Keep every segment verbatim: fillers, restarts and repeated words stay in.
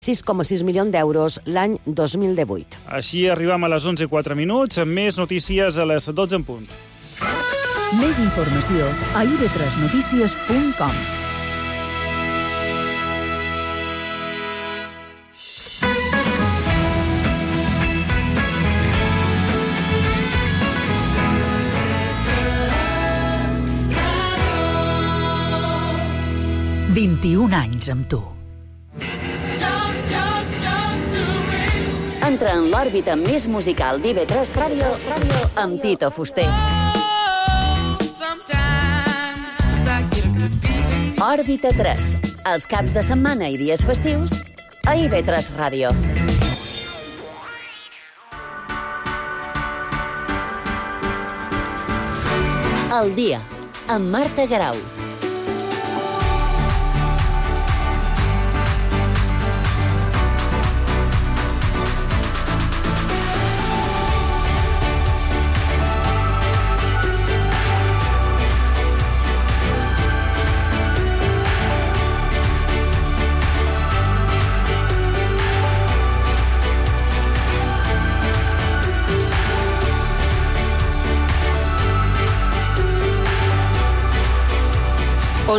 sis coma sis milions d'euros l'any dos mil divuit. Així arribam a les onze i quatre minuts, amb més notícies a les dotze en punt. Més informació a i ve tres notícies punt com. vint-i-un anys amb tu. Entra en l'òrbita més musical d'I ve tres Ràdio amb Tito Fuster. Òrbita tres, els caps de setmana i dies festius a I ve tres Ràdio. El dia, amb Marta Garau.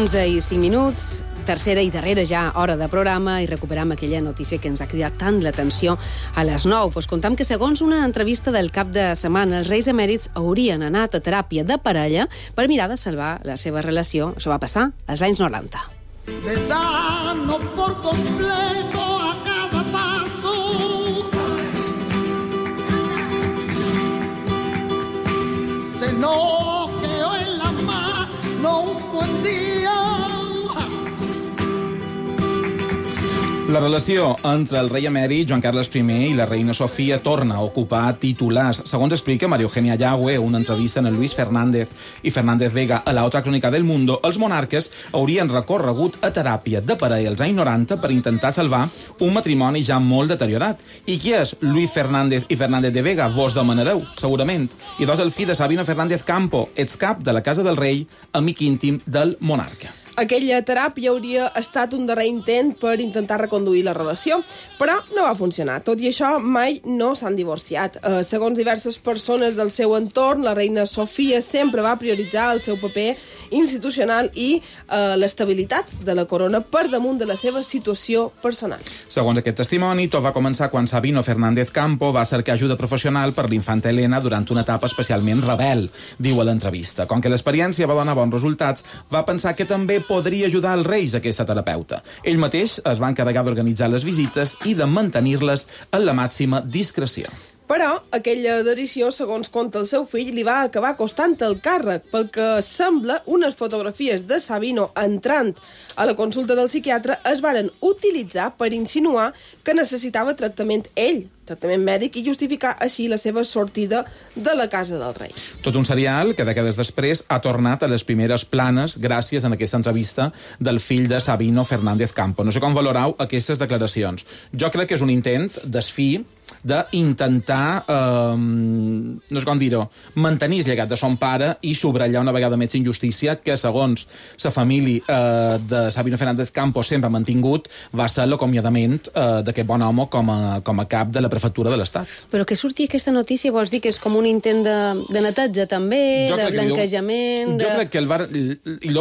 onze i cinc minuts, tercera i darrera ja hora de programa i recuperam aquella notícia que ens ha cridat tant l'atenció a les nou. Pues contam que segons una entrevista del cap de setmana, els reis emèrits haurien anat a teràpia de parella per mirar de salvar la seva relació. Això va passar als anys noranta. De darnos por completo a cada paso. Se nos quedó en la mano un buen día. La relació entre el rei emèrit Joan Carles primer i la reina Sofia torna a ocupar titulars. Segons explica María Eugenia Yagüe en una entrevista en el Luis Fernández i Fernández Vega a la Otra Crónica del Mundo, els monarques haurien recorregut a teràpia de parella als anys noranta per intentar salvar un matrimoni ja molt deteriorat. I qui és Luis Fernández i Fernández de Vega? Vos demanareu, segurament. I dos el fill de Sabino Fernández Campo, ets cap de la Casa del Rei, amic íntim del monarca. Aquella teràpia hauria estat un darrer intent per intentar reconduir la relació, però no va funcionar. Tot i això, mai no s'han divorciat. Eh, segons diverses persones del seu entorn, la reina Sofia sempre va prioritzar el seu paper institucional i eh, l'estabilitat de la corona per damunt de la seva situació personal. Segons aquest testimoni, tot va començar quan Sabino Fernández Campo va cercar ajuda professional per l'infanta Helena durant una etapa especialment rebel, diu a l'entrevista. Com que l'experiència va donar bons resultats, va pensar que també podria ajudar els reis aquesta terapeuta. Ell mateix es va encarregar d'organitzar les visites i de mantenir-les en la màxima discreció. Però aquella decisió, segons conta el seu fill, li va acabar costant el càrrec, pel que sembla unes fotografies de Sabino entrant a la consulta del psiquiatre es varen utilitzar per insinuar que necessitava tractament ell, tractament mèdic, i justificar així la seva sortida de la casa del rei. Tot un serial que dècades després ha tornat a les primeres planes gràcies a aquesta entrevista del fill de Sabino Fernández Campo. No sé com valorau aquestes declaracions. Jo crec que és un intent desfi d'intentar, eh, no sé com dir-ho, mantenir el llegat de son pare i subratllar una vegada més injustícia que, segons la família eh, de Sabino Fernández Campos sempre ha mantingut, va ser l'acomiadament eh, d'aquest bon home com a, com a cap de la prefectura de l'Estat. Però que surti aquesta notícia, vols dir que és com un intent de, de neteja també, jo de blanquejament... Jo de... crec que el var, li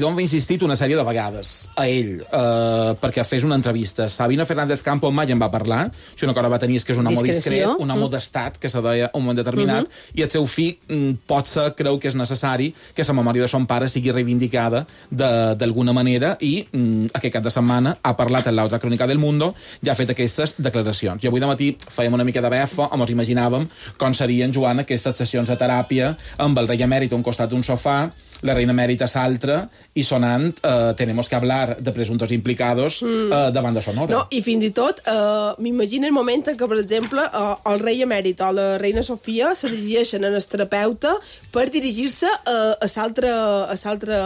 d'on va insistit una sèrie de vegades a ell eh, perquè fes una entrevista. Sabino Fernández Campos mai en va parlar, si una cosa va tenir és que és un home discret, un home mm. d'estat, que se deia un moment determinat, mm -hmm. i el seu fill mm, potser creu que és necessari que la memòria de son pare sigui reivindicada d'alguna manera i mm, aquest cap de setmana ha parlat en l'altra crònica del Mundo i ha fet aquestes declaracions. I avui de matí fèiem una mica de befa, o ens imaginàvem com serien, Joan, aquestes sessions de teràpia amb el rei emèrit a un costat d'un sofà, la reina emèrita s'altra i sonant eh, tenemos que hablar de presuntos implicados mm. eh, davant de Sonora. No, i fins i tot eh, m'imagino el moment en què, per exemple, eh, el rei emèrit o la reina Sofia se dirigeixen al terapeuta per dirigir-se eh, a l'altra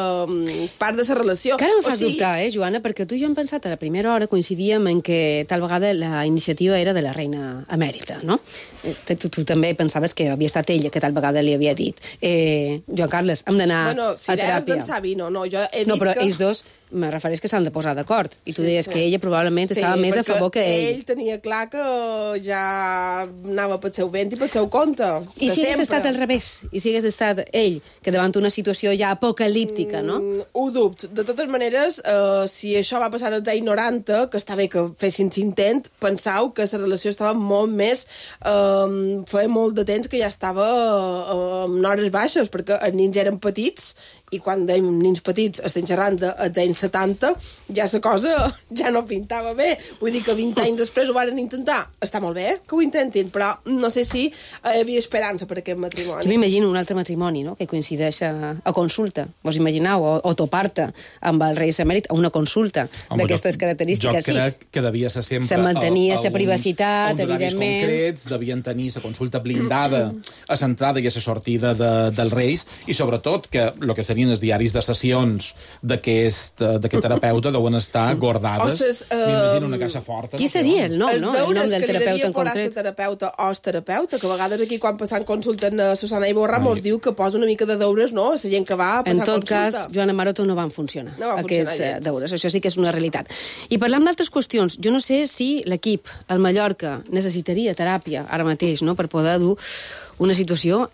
part de la relació. Que ara em fas o sigui... dubtar, eh, Joana, perquè tu i jo hem pensat a la primera hora coincidíem en que tal vegada la iniciativa era de la reina emèrita, no? Tu, tu també pensaves que havia estat ella que tal vegada li havia dit eh, Joan Carles, hem d'anar bueno, no, si a deies teràpia. d'en Xavi, no, no, jo he dit No, però que... ells dos, me refereix que s'han de posar d'acord. I tu Sí, deies sí. que ella probablement Sí, estava més a favor que ell. ell tenia clar que ja anava pel seu vent i pel seu compte. I si hagués estat al revés? I si hagués estat ell, que davant una situació ja apocalíptica, no? Mm, ho dubto. De totes maneres, eh, si això va passar als anys noranta, que està bé que fessin intent, pensau que la relació estava molt més... Eh, feia molt de temps que ja estava eh, en hores baixes, perquè els nins eren petits, i quan dèiem nins petits estem xerrant dels anys setanta, ja la cosa ja no pintava bé. Vull dir que vint anys després ho varen intentar. Està molt bé que ho intentin, però no sé si hi havia esperança per aquest matrimoni. Jo m'imagino un altre matrimoni, no?, que coincideix a, a consulta. Vos imagineu? O, o topar-te amb el rei emèrit a una consulta d'aquestes característiques. Jo crec que devia ser sempre... Se mantenia a, a la privacitat, uns evidentment. concrets, devien tenir la consulta blindada a l'entrada i a la sortida de, dels reis, i sobretot que el que serien els diaris de sessions d'aquest terapeuta deuen estar guardades. Osses, uh, m'imagino una caixa forta. Qui seria el nom, no? El nom del terapeuta en concret. El terapeuta o el terapeuta, que a vegades aquí quan passant consulten a Susana Iborra mos diu que posa una mica de deures, no?, a la gent que va a passar en tot consulta. cas, Joana Maroto, no van funcionar, no van aquests funcionar uh, deures. Això sí que és una realitat. I parlant d'altres qüestions, jo no sé si l'equip, el Mallorca, necessitaria teràpia ara mateix, no?, per poder dur una situació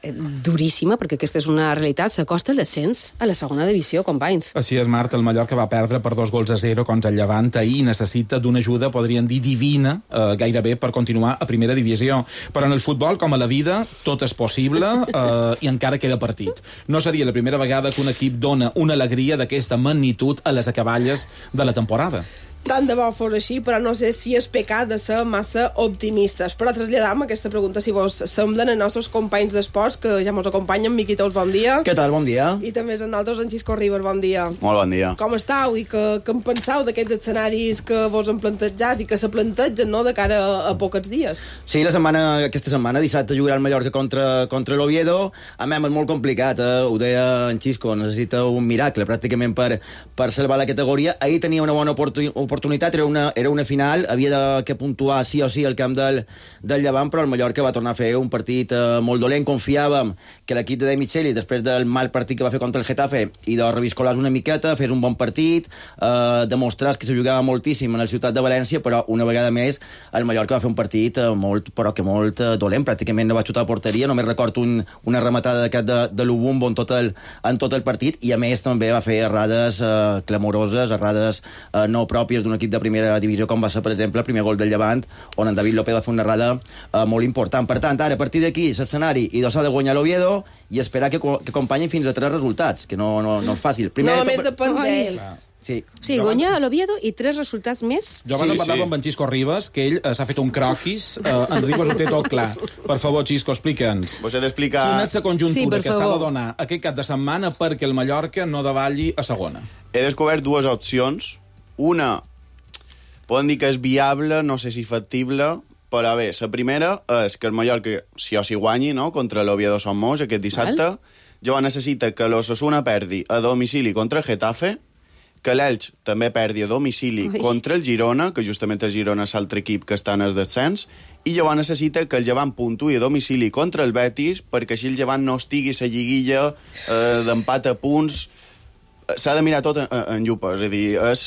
duríssima, perquè aquesta és una realitat, s'acosta el descens a la segona divisió, companys. Així és, Marta, el Mallorca va perdre per dos gols a zero contra el Llevant ahir i necessita d'una ajuda, podríem dir, divina, eh, gairebé, per continuar a primera divisió. Però en el futbol, com a la vida, tot és possible eh, i encara queda partit. No seria la primera vegada que un equip dona una alegria d'aquesta magnitud a les acaballes de la temporada. Tant de bo fos així, però no sé si és pecat de ser massa optimistes. Però traslladam aquesta pregunta, si vos semblen, a nostres companys d'esports, que ja mos acompanyen. Miqui Tous, bon dia. Què tal, bon dia. I també és en altres, en Xisco Ribas, bon dia. Molt bon dia. Com estàu i que, que en penseu d'aquests escenaris que vos han plantejat i que se plantegen, no?, de cara a, a pocs dies? Sí, la setmana, aquesta setmana, dissabte, jugarà el Mallorca contra, contra l'Oviedo. A mi és molt complicat, eh? Ho deia en Xisco, necessita un miracle pràcticament per, per salvar la categoria. Ahir tenia una bona oportunitat oportunitat, era una, era una final, havia de, que puntuar sí o sí el camp del, del Llevant, però el Mallorca va tornar a fer un partit eh, molt dolent. Confiàvem que l'equip de De Michelis, després del mal partit que va fer contra el Getafe, i de reviscolar una miqueta, fes un bon partit, eh, demostrar que se jugava moltíssim en la ciutat de València, però una vegada més el Mallorca va fer un partit eh, molt, però que molt eh, dolent, pràcticament no va xutar a porteria, només recordo un, una rematada d'aquest de, de l'Ubumbo en, tot el, en tot el partit, i a més també va fer errades eh, clamoroses, errades eh, no pròpies d'un equip de primera divisió, com va ser, per exemple, el primer gol del Llevant, on en David López va fer una errada eh, molt important. Per tant, ara, a partir d'aquí, l'escenari, i dos s'ha de guanyar l'Oviedo i esperar que, que acompanyin fins a tres resultats, que no, no, no és fàcil. Primer, no, de només depèn d'ells. Sí. Sí, guanyar a l'Oviedo i tres resultats més. Jo abans Sí, sí, parlava sí. amb en Xisco Ribas, que ell eh, s'ha fet un croquis. Eh, en Ribas ho té tot clar. Per favor, Xisco, explica'ns. Vos he d'explicar... Quina és la conjuntura sí, que s'ha favor. de donar aquest cap de setmana perquè el Mallorca no davalli a segona? He descobert dues opcions. Una, poden dir que és viable, no sé si factible, però bé, la primera és que el Mallorca sí o sí guanyi, no?, contra l'Oviedo Somos aquest dissabte. Llavors necessita que l'Osasuna perdi a domicili contra el Getafe, que l'Elx també perdi a domicili Ui. contra el Girona, que justament el Girona és l'altre equip que està en el descens, i llavors necessita que el Llevant puntuï a domicili contra el Betis, perquè així el Llevant no estigui a lliguilla eh, d'empat a punts. S'ha de mirar tot en, en llupa, és a dir, és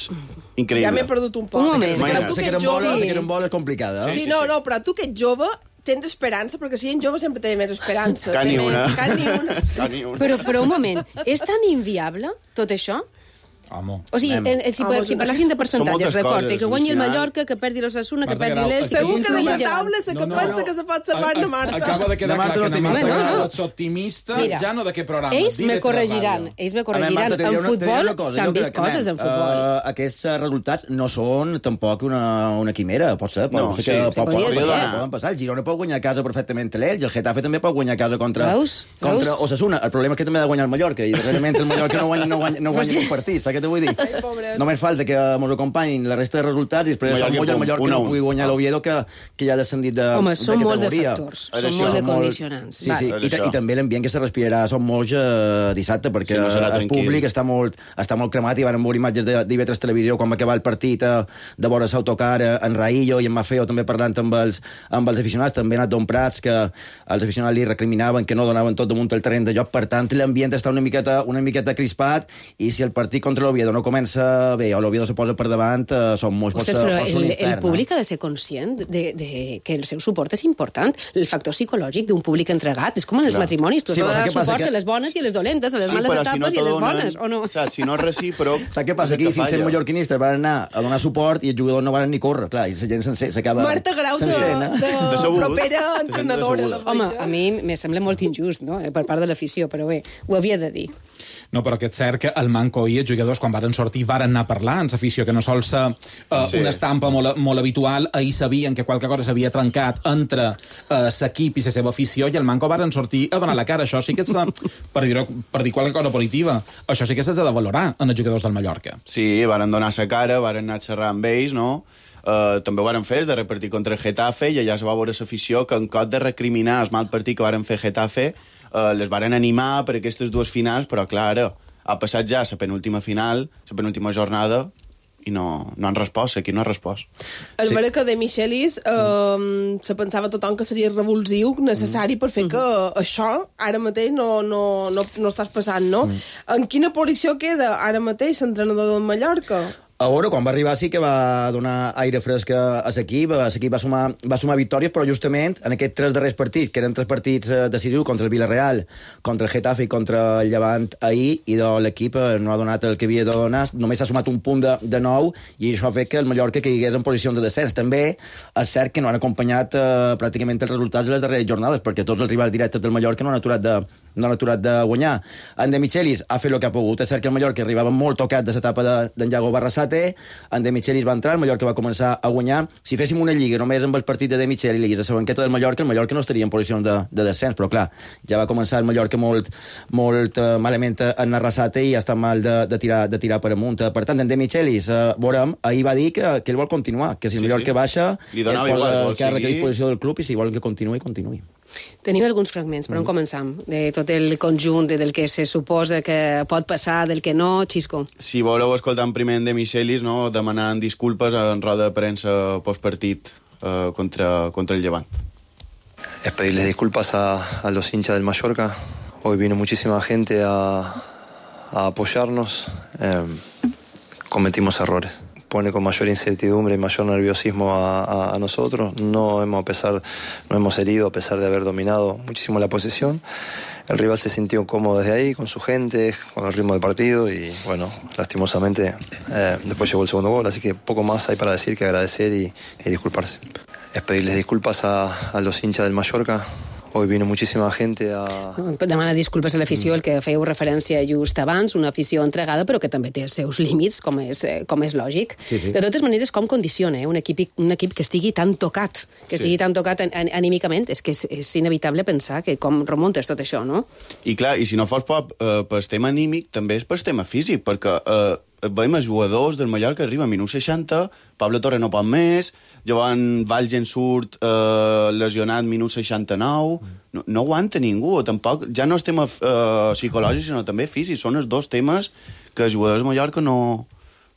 increïble. Ja m'he perdut un poc. Un moment. Però tu que ets jove... La carambola és complicada. Sí, sí, no, no, però tu que ets jove tens esperança, perquè si ets jove sempre té més esperança. Can ni Té una. Més, can ni una. Sí. Can ni una. Però, però un moment, és tan inviable tot això? Home. O sigui, Anem. eh, si, Home, si parléssim de percentatges, moltes recorde, coses, que guanyi el al final. Mallorca, que perdi l'Osasuna, que Marta perdi Grau, l'Elx... Segur que i deixa el taula la que pensa que se pot salvar na Marta. Acaba de quedar La Marta clar no que na Marta té No, no. Grau és optimista, Mira, ja no d'aquest programa. Ells d'I me V tres corregiran, Ràdio. ells me A veure, corregiran. Marta, t'he de dir En una- t'he de dir futbol una cosa, s'han jo vist crec que, coses en nen, futbol. eh, aquests resultats no són tampoc una, una quimera, pot ser, pot No, ser sí, que sí, pot, podria pot, ser. pot, poden passar. El Girona pot guanyar a casa perfectament l'Elx, el Getafe també pot guanyar a casa contra, Veus? contra Veus? Osasuna. El problema és que també ha de guanyar el Mallorca, i darrerament el Mallorca no guanya, no guanya, no guanya un partit. La què te vull dir? Ai, només falta que ens acompanyin la resta de resultats i després som molt el Mallorca no pugui guanyar l'Oviedo que, que ja ha descendit de, Home, de són molts de categoria. factors, són molts de condicionants. Sí, sí, i, i també l'ambient que se respirarà som molts eh, dissabte, perquè sí, no el públic està molt, està molt cremat i van veure imatges d'I V tres Televisió quan va acabar el partit eh, de veure l'autocar eh, en Raillo i en Mafeo també parlant amb els, amb els aficionats, també ha anat Don Prats, que els aficionats li recriminaven que no donaven tot damunt el terreny de joc, per tant l'ambient està una miqueta, una miqueta crispat i si el partit contra l'Oviedo no comença bé o l'Oviedo se posa per davant, eh, són molts... Ostres, però el, el públic ha de ser conscient de, de que el seu suport és important. El factor psicològic d'un públic entregat és com en els Clar. matrimonis. Tu has sí, de donar suport que... a les bones i a les dolentes, a les sí, males etapes si no i a les bones, o no? Saps, si no és recíproc... Saps què passa? Aquí cinc-cents mallorquinistes van anar a donar suport i els jugadors no van ni córrer. Clar, i la gent s'acaba... Marta Grau, de, de, de propera entrenadora. Home, a mi me sembla molt injust, no?, per part de l'afició, però bé, ho havia de dir. No, però que és cert que el Manco i els jugadors, quan varen sortir, varen anar a parlar amb l'afició, que no sol ser uh, sí. una estampa molt, molt habitual. Ahir sabien que qualque cosa s'havia trencat entre uh, l'equip i la seva afició, i el Manco varen sortir a donar la cara. Això sí que és, per dir, per dir qualque cosa positiva, això sí que s'ha de valorar en els jugadors del Mallorca. Sí, varen donar la cara, varen anar a xerrar amb ells, no? Uh, també ho varen fer, de repartir contra el Getafe, i allà es va veure l'afició que en cop de recriminar el mal partit que varen fer Getafe, Uh, les varen animar per aquestes dues finals, però clar, ara ha passat ja la penúltima final, la penúltima jornada, i no, no han respost, aquí no ha respost. El sí. Mallorca de Michelis eh, mm. se pensava tothom que seria revulsiu, necessari per fer mm. que això ara mateix no, no, no, no estàs passant, no? Mm. En quina posició queda ara mateix l'entrenador del Mallorca? A veure, quan va arribar sí que va donar aire fresc a l'equip, l'equip va sumar, va sumar victòries, però justament en aquests tres darrers partits, que eren tres partits decisius contra el Villarreal, contra el Getafe i contra el Llevant ahir, i l'equip no ha donat el que havia de donar, només s'ha sumat un punt de, de nou, i això ha fet que el Mallorca caigués en posició de descens. També és cert que no han acompanyat eh, pràcticament els resultats de les darreres jornades, perquè tots els rivals directes del Mallorca no han aturat de, no han aturat de guanyar. En De Michelis ha fet el que ha pogut. És cert que el Mallorca arribava molt tocat de l'etapa d'en Iago Barrasate, en De Michelis va entrar, el Mallorca va començar a guanyar. Si féssim una lliga només amb el partit de De Michelis a la banqueta del Mallorca, el Mallorca no estaria en posició de, de descens, però clar, ja va començar el Mallorca molt, molt uh, malament en Arrasate i ja està mal de, de, tirar, de tirar per amunt. Per tant, en De Michelis, uh, veurem, ahir va dir que, que ell vol continuar, que si el sí, Mallorca sí. baixa, ell posa igual, el càrrec a disposició del club i si vol que continuï, continuï. Tenim alguns fragments, però mm. on començam? De tot el conjunt, de, del que se suposa que pot passar, del que no, Xisco. Si voleu escoltar en primer de Michelis, no, demanant disculpes en roda de premsa postpartit eh, contra, contra el Llevant. Es pedirles disculpas a, a los hinchas del Mallorca. Hoy vino muchísima gente a, a apoyarnos. Eh, cometimos errores. Pone con mayor incertidumbre y mayor nerviosismo a, a, a nosotros. No hemos, a pesar, no hemos herido a pesar de haber dominado muchísimo la posesión. El rival se sintió cómodo desde ahí, con su gente, con el ritmo del partido y, bueno, lastimosamente eh, después llegó el segundo gol, así que poco más hay para decir que agradecer y, y disculparse. Es pedirles disculpas a, a los hinchas del Mallorca. Hoy vino muchísima gente a... Demana disculpes a l'afició, el que fèieu referència just abans, una afició entregada, però que també té els seus límits, com és, com és lògic. Sí, sí. De totes maneres, com condiciona eh? un, equip, un equip que estigui tan tocat, que estigui sí. tan tocat an, an, anímicament, és que és, és inevitable pensar que com remuntes tot això, no? I clar, i si no fos per, uh, per tema anímic, també és per tema físic, perquè uh, veiem els jugadors del Mallorca que arriben a minut seixanta, Pablo Torre no pot més, Joan Valgen surt eh, lesionat minut seixanta-nou, no, no aguanta ningú, tampoc, ja no és tema eh, psicològic, sinó també físic, són els dos temes que els jugadors de Mallorca no,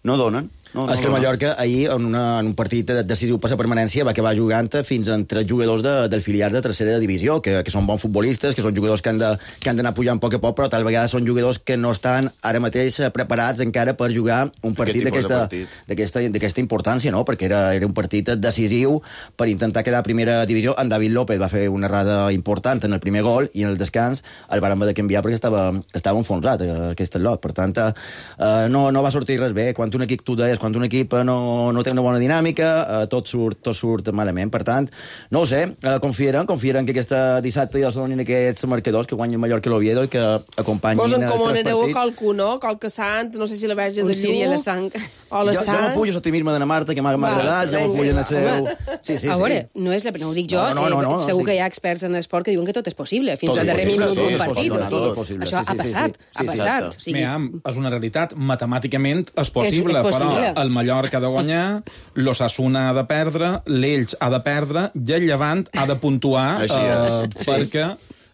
no donen. No, no, és que el Mallorca ahir, en, una, en un partit decisiu per la permanència, va acabar jugant fins en tres jugadors de, del filial de tercera divisió, que, que són bons futbolistes, que són jugadors que han de, que han d'anar pujant a poc a poc, però tal vegada són jugadors que no estan ara mateix preparats encara per jugar un partit d'aquesta importància, no? Perquè era, era un partit decisiu per intentar quedar a primera divisió. En David López va fer una errada important en el primer gol i en el descans el van haver de canviar perquè estava, estava enfonsat, aquest lot. Per tant, eh, no, no va sortir res bé. Quan un equip, tu deies, després, quan un equip no, no té una bona dinàmica, eh, tot, surt, tot surt malament. Per tant, no ho sé, eh, confiarem, confiarem que aquesta dissabte ja es donin aquests marcadors, que guanyi Mallorca i l'Oviedo i que acompanyin Vos tres partits. Vos encomanareu a qualcú, no? Qualque sant, no sé si la Verge de Lluc... Síria, la sang. O la jo, sang. jo no pujo l'optimisme de la Marta, que m'ha agradat, jo no pujo en el seu... Sí, sí, sí. A veure, no, és la, no ho dic jo, no, no, no, no, eh, segur sí. que hi ha experts en esport que diuen que tot és possible, fins tot al darrer minut d'un partit. Això ha passat, ha passat. O sigui, és una realitat, matemàticament és possible, és, és possible. Però el Mallorca ha de guanyar, l'Osasuna ha de perdre, l'Elx ha de perdre i el Llevant ha de puntuar eh, sí. perquè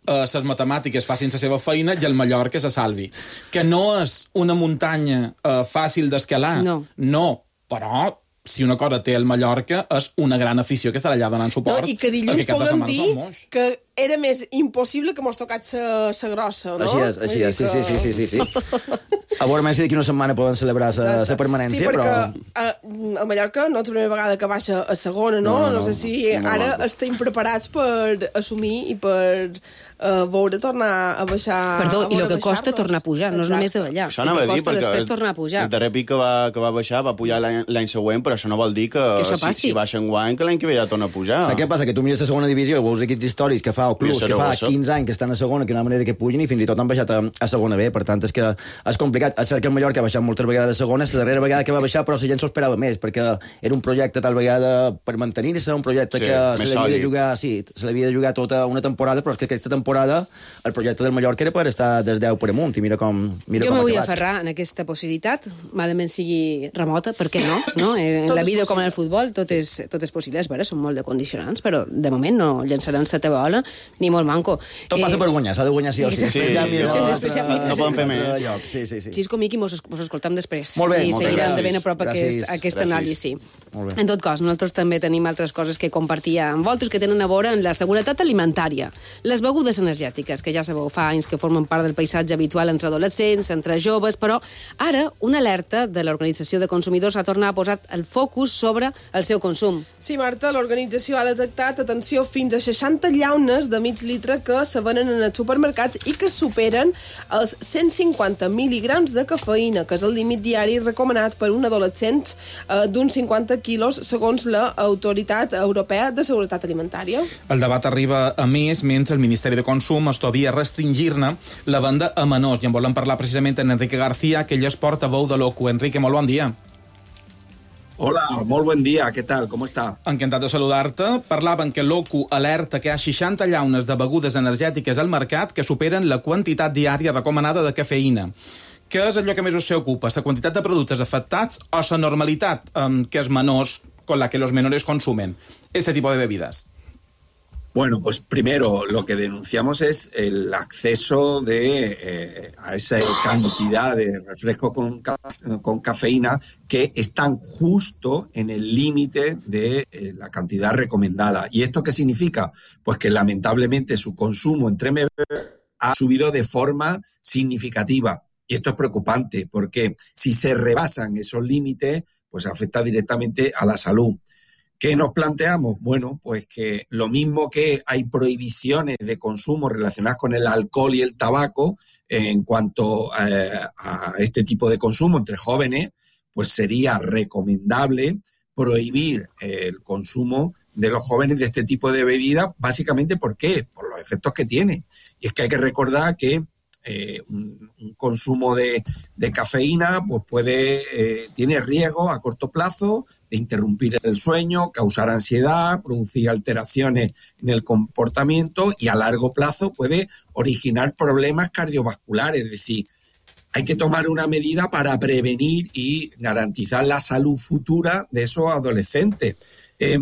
les uh, matemàtiques facin la seva feina i el Mallorca se salvi. Que no és una muntanya uh, fàcil d'escalar, no. no, però si una cosa té el Mallorca és una gran afició que estarà allà donant suport. No, i que dilluns puguem dir que era més impossible que mos tocat sa grossa, no? Així és, així és, sí, sí, sí, sí, sí. A veure, més d'aquí una setmana poden celebrar la permanència, sí, perquè, però... a, a Mallorca no és la primera vegada que baixa a segona, no? No, no, no sé si no, ara no. estem preparats per assumir i per uh, veure tornar a baixar... Perdó, i el que costa tornar a pujar, no és només de ballar. Això anava a dir, perquè després tornar a pujar. El darrer pic que va, que va baixar va pujar l'any següent, però això no vol dir que, que si, si baixa en guany, que l'any que ve ja torna a pujar. Saps què passa? Que tu mires la segona divisió i veus equips històrics que fa o clubs que fa quinze anys que estan a segona, que una manera que pugin i fins i tot han baixat a, a segona B. Per tant, és que és complicat. És cert que el Mallorca ha baixat moltes vegades a segona, la darrera vegada que va baixar, però la gent s'ho esperava més, perquè era un projecte tal vegada per mantenir-se, un projecte sí, que se l'havia de jugar, sí, se l'havia de jugar tota una temporada, però és que aquesta temporada el projecte del Mallorca era per estar des deu per amunt, i mira com mira jo com me vull aferrar en aquesta possibilitat, malament sigui remota, per què no? no? En la vida com en el futbol tot és, tot és possible, és vera, són molt de condicionants, però de moment no llançaran la teva bola ni molt manco. Tot passa per guanyar, s'ha de guanyar sí o sí. Sí, sí, ja, mira, sí, després ja no poden fer més. Sí, sí, sí. Xisco, Miqui, mos, mos escoltam després. Molt bé, I molt bé. seguirem de ben a prop aquest, aquest anàlisi. En tot cas, nosaltres també tenim altres coses que compartir amb vosaltres que tenen a veure amb la seguretat alimentària. Les begudes energètiques, que ja sabeu, fa anys que formen part del paisatge habitual entre adolescents, entre joves, però ara una alerta de l'Organització de Consumidors ha tornat a posar el focus sobre el seu consum. Sí, Marta, l'organització ha detectat, atenció, fins a seixanta llaunes de mig litre que se venen en els supermercats i que superen els cent cinquanta mil·ligrams de cafeïna, que és el límit diari recomanat per un adolescent eh, d'uns cinquanta quilos, segons l'Autoritat Europea de Seguretat Alimentària. El debat arriba a més mentre el Ministeri de Consum estudia restringir-ne la venda a menors. I en volem parlar precisament amb Enrique García, que ell és portaveu de l'O C U. Enrique, molt bon dia. Hola, molt bon dia, què tal, com està? Encantat de saludar-te. Parlaven que l'O C U alerta que hi ha seixanta llaunes de begudes energètiques al mercat que superen la quantitat diària recomanada de cafeïna. Què és allò que més us preocupa? La quantitat de productes afectats o la normalitat um, que és menors con la que los menores consumen este tipo de bebidas? Bueno, pues primero lo que denunciamos es el acceso de, eh, a esa cantidad de refresco con, ca con cafeína que están justo en el límite de eh, la cantidad recomendada. ¿Y esto qué significa? Pues que lamentablemente su consumo entre menores ha subido de forma significativa. Y esto es preocupante porque si se rebasan esos límites, pues afecta directamente a la salud. ¿Qué nos planteamos? Bueno, pues que lo mismo que hay prohibiciones de consumo relacionadas con el alcohol y el tabaco en cuanto eh, a este tipo de consumo entre jóvenes, pues sería recomendable prohibir el consumo de los jóvenes de este tipo de bebidas, básicamente ¿por qué? Por los efectos que tiene. Y es que hay que recordar que Eh, un, un consumo de, de cafeína pues puede eh, tiene riesgo a corto plazo de interrumpir el sueño, causar ansiedad, producir alteraciones en el comportamiento y a largo plazo puede originar problemas cardiovasculares. Es decir, hay que tomar una medida para prevenir y garantizar la salud futura de esos adolescentes. Eh,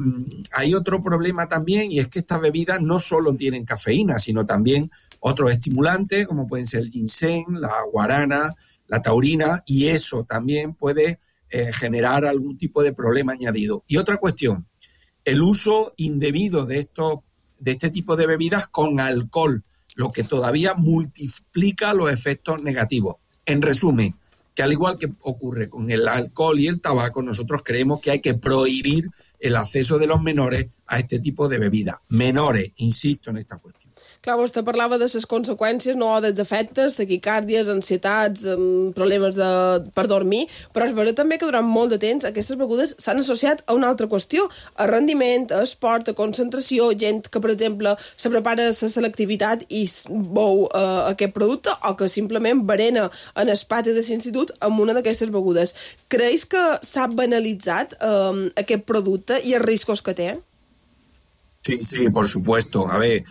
hay otro problema también y es que estas bebidas no solo tienen cafeína, sino también otros estimulantes como pueden ser el ginseng, la guarana, la taurina, y eso también puede eh, generar algún tipo de problema añadido. Y otra cuestión, el uso indebido de, estos, de este tipo de bebidas con alcohol, lo que todavía multiplica los efectos negativos. En resumen, que al igual que ocurre con el alcohol y el tabaco, nosotros creemos que hay que prohibir el acceso de los menores a este tipo de bebidas. Menores, insisto en esta cuestión. Clar, vostè parlava de les conseqüències, no, dels efectes, taquicàrdies, ansietats, problemes de, per dormir, però és vera també que durant molt de temps aquestes begudes s'han associat a una altra qüestió, a rendiment, a esport, a concentració, gent que, per exemple, se prepara la selectivitat i beu uh, aquest producte, o que simplement berena en el pati de l'institut amb una d'aquestes begudes. Creus que s'ha banalitzat um, aquest producte i els riscos que té? Sí, sí, por supuesto. A ver,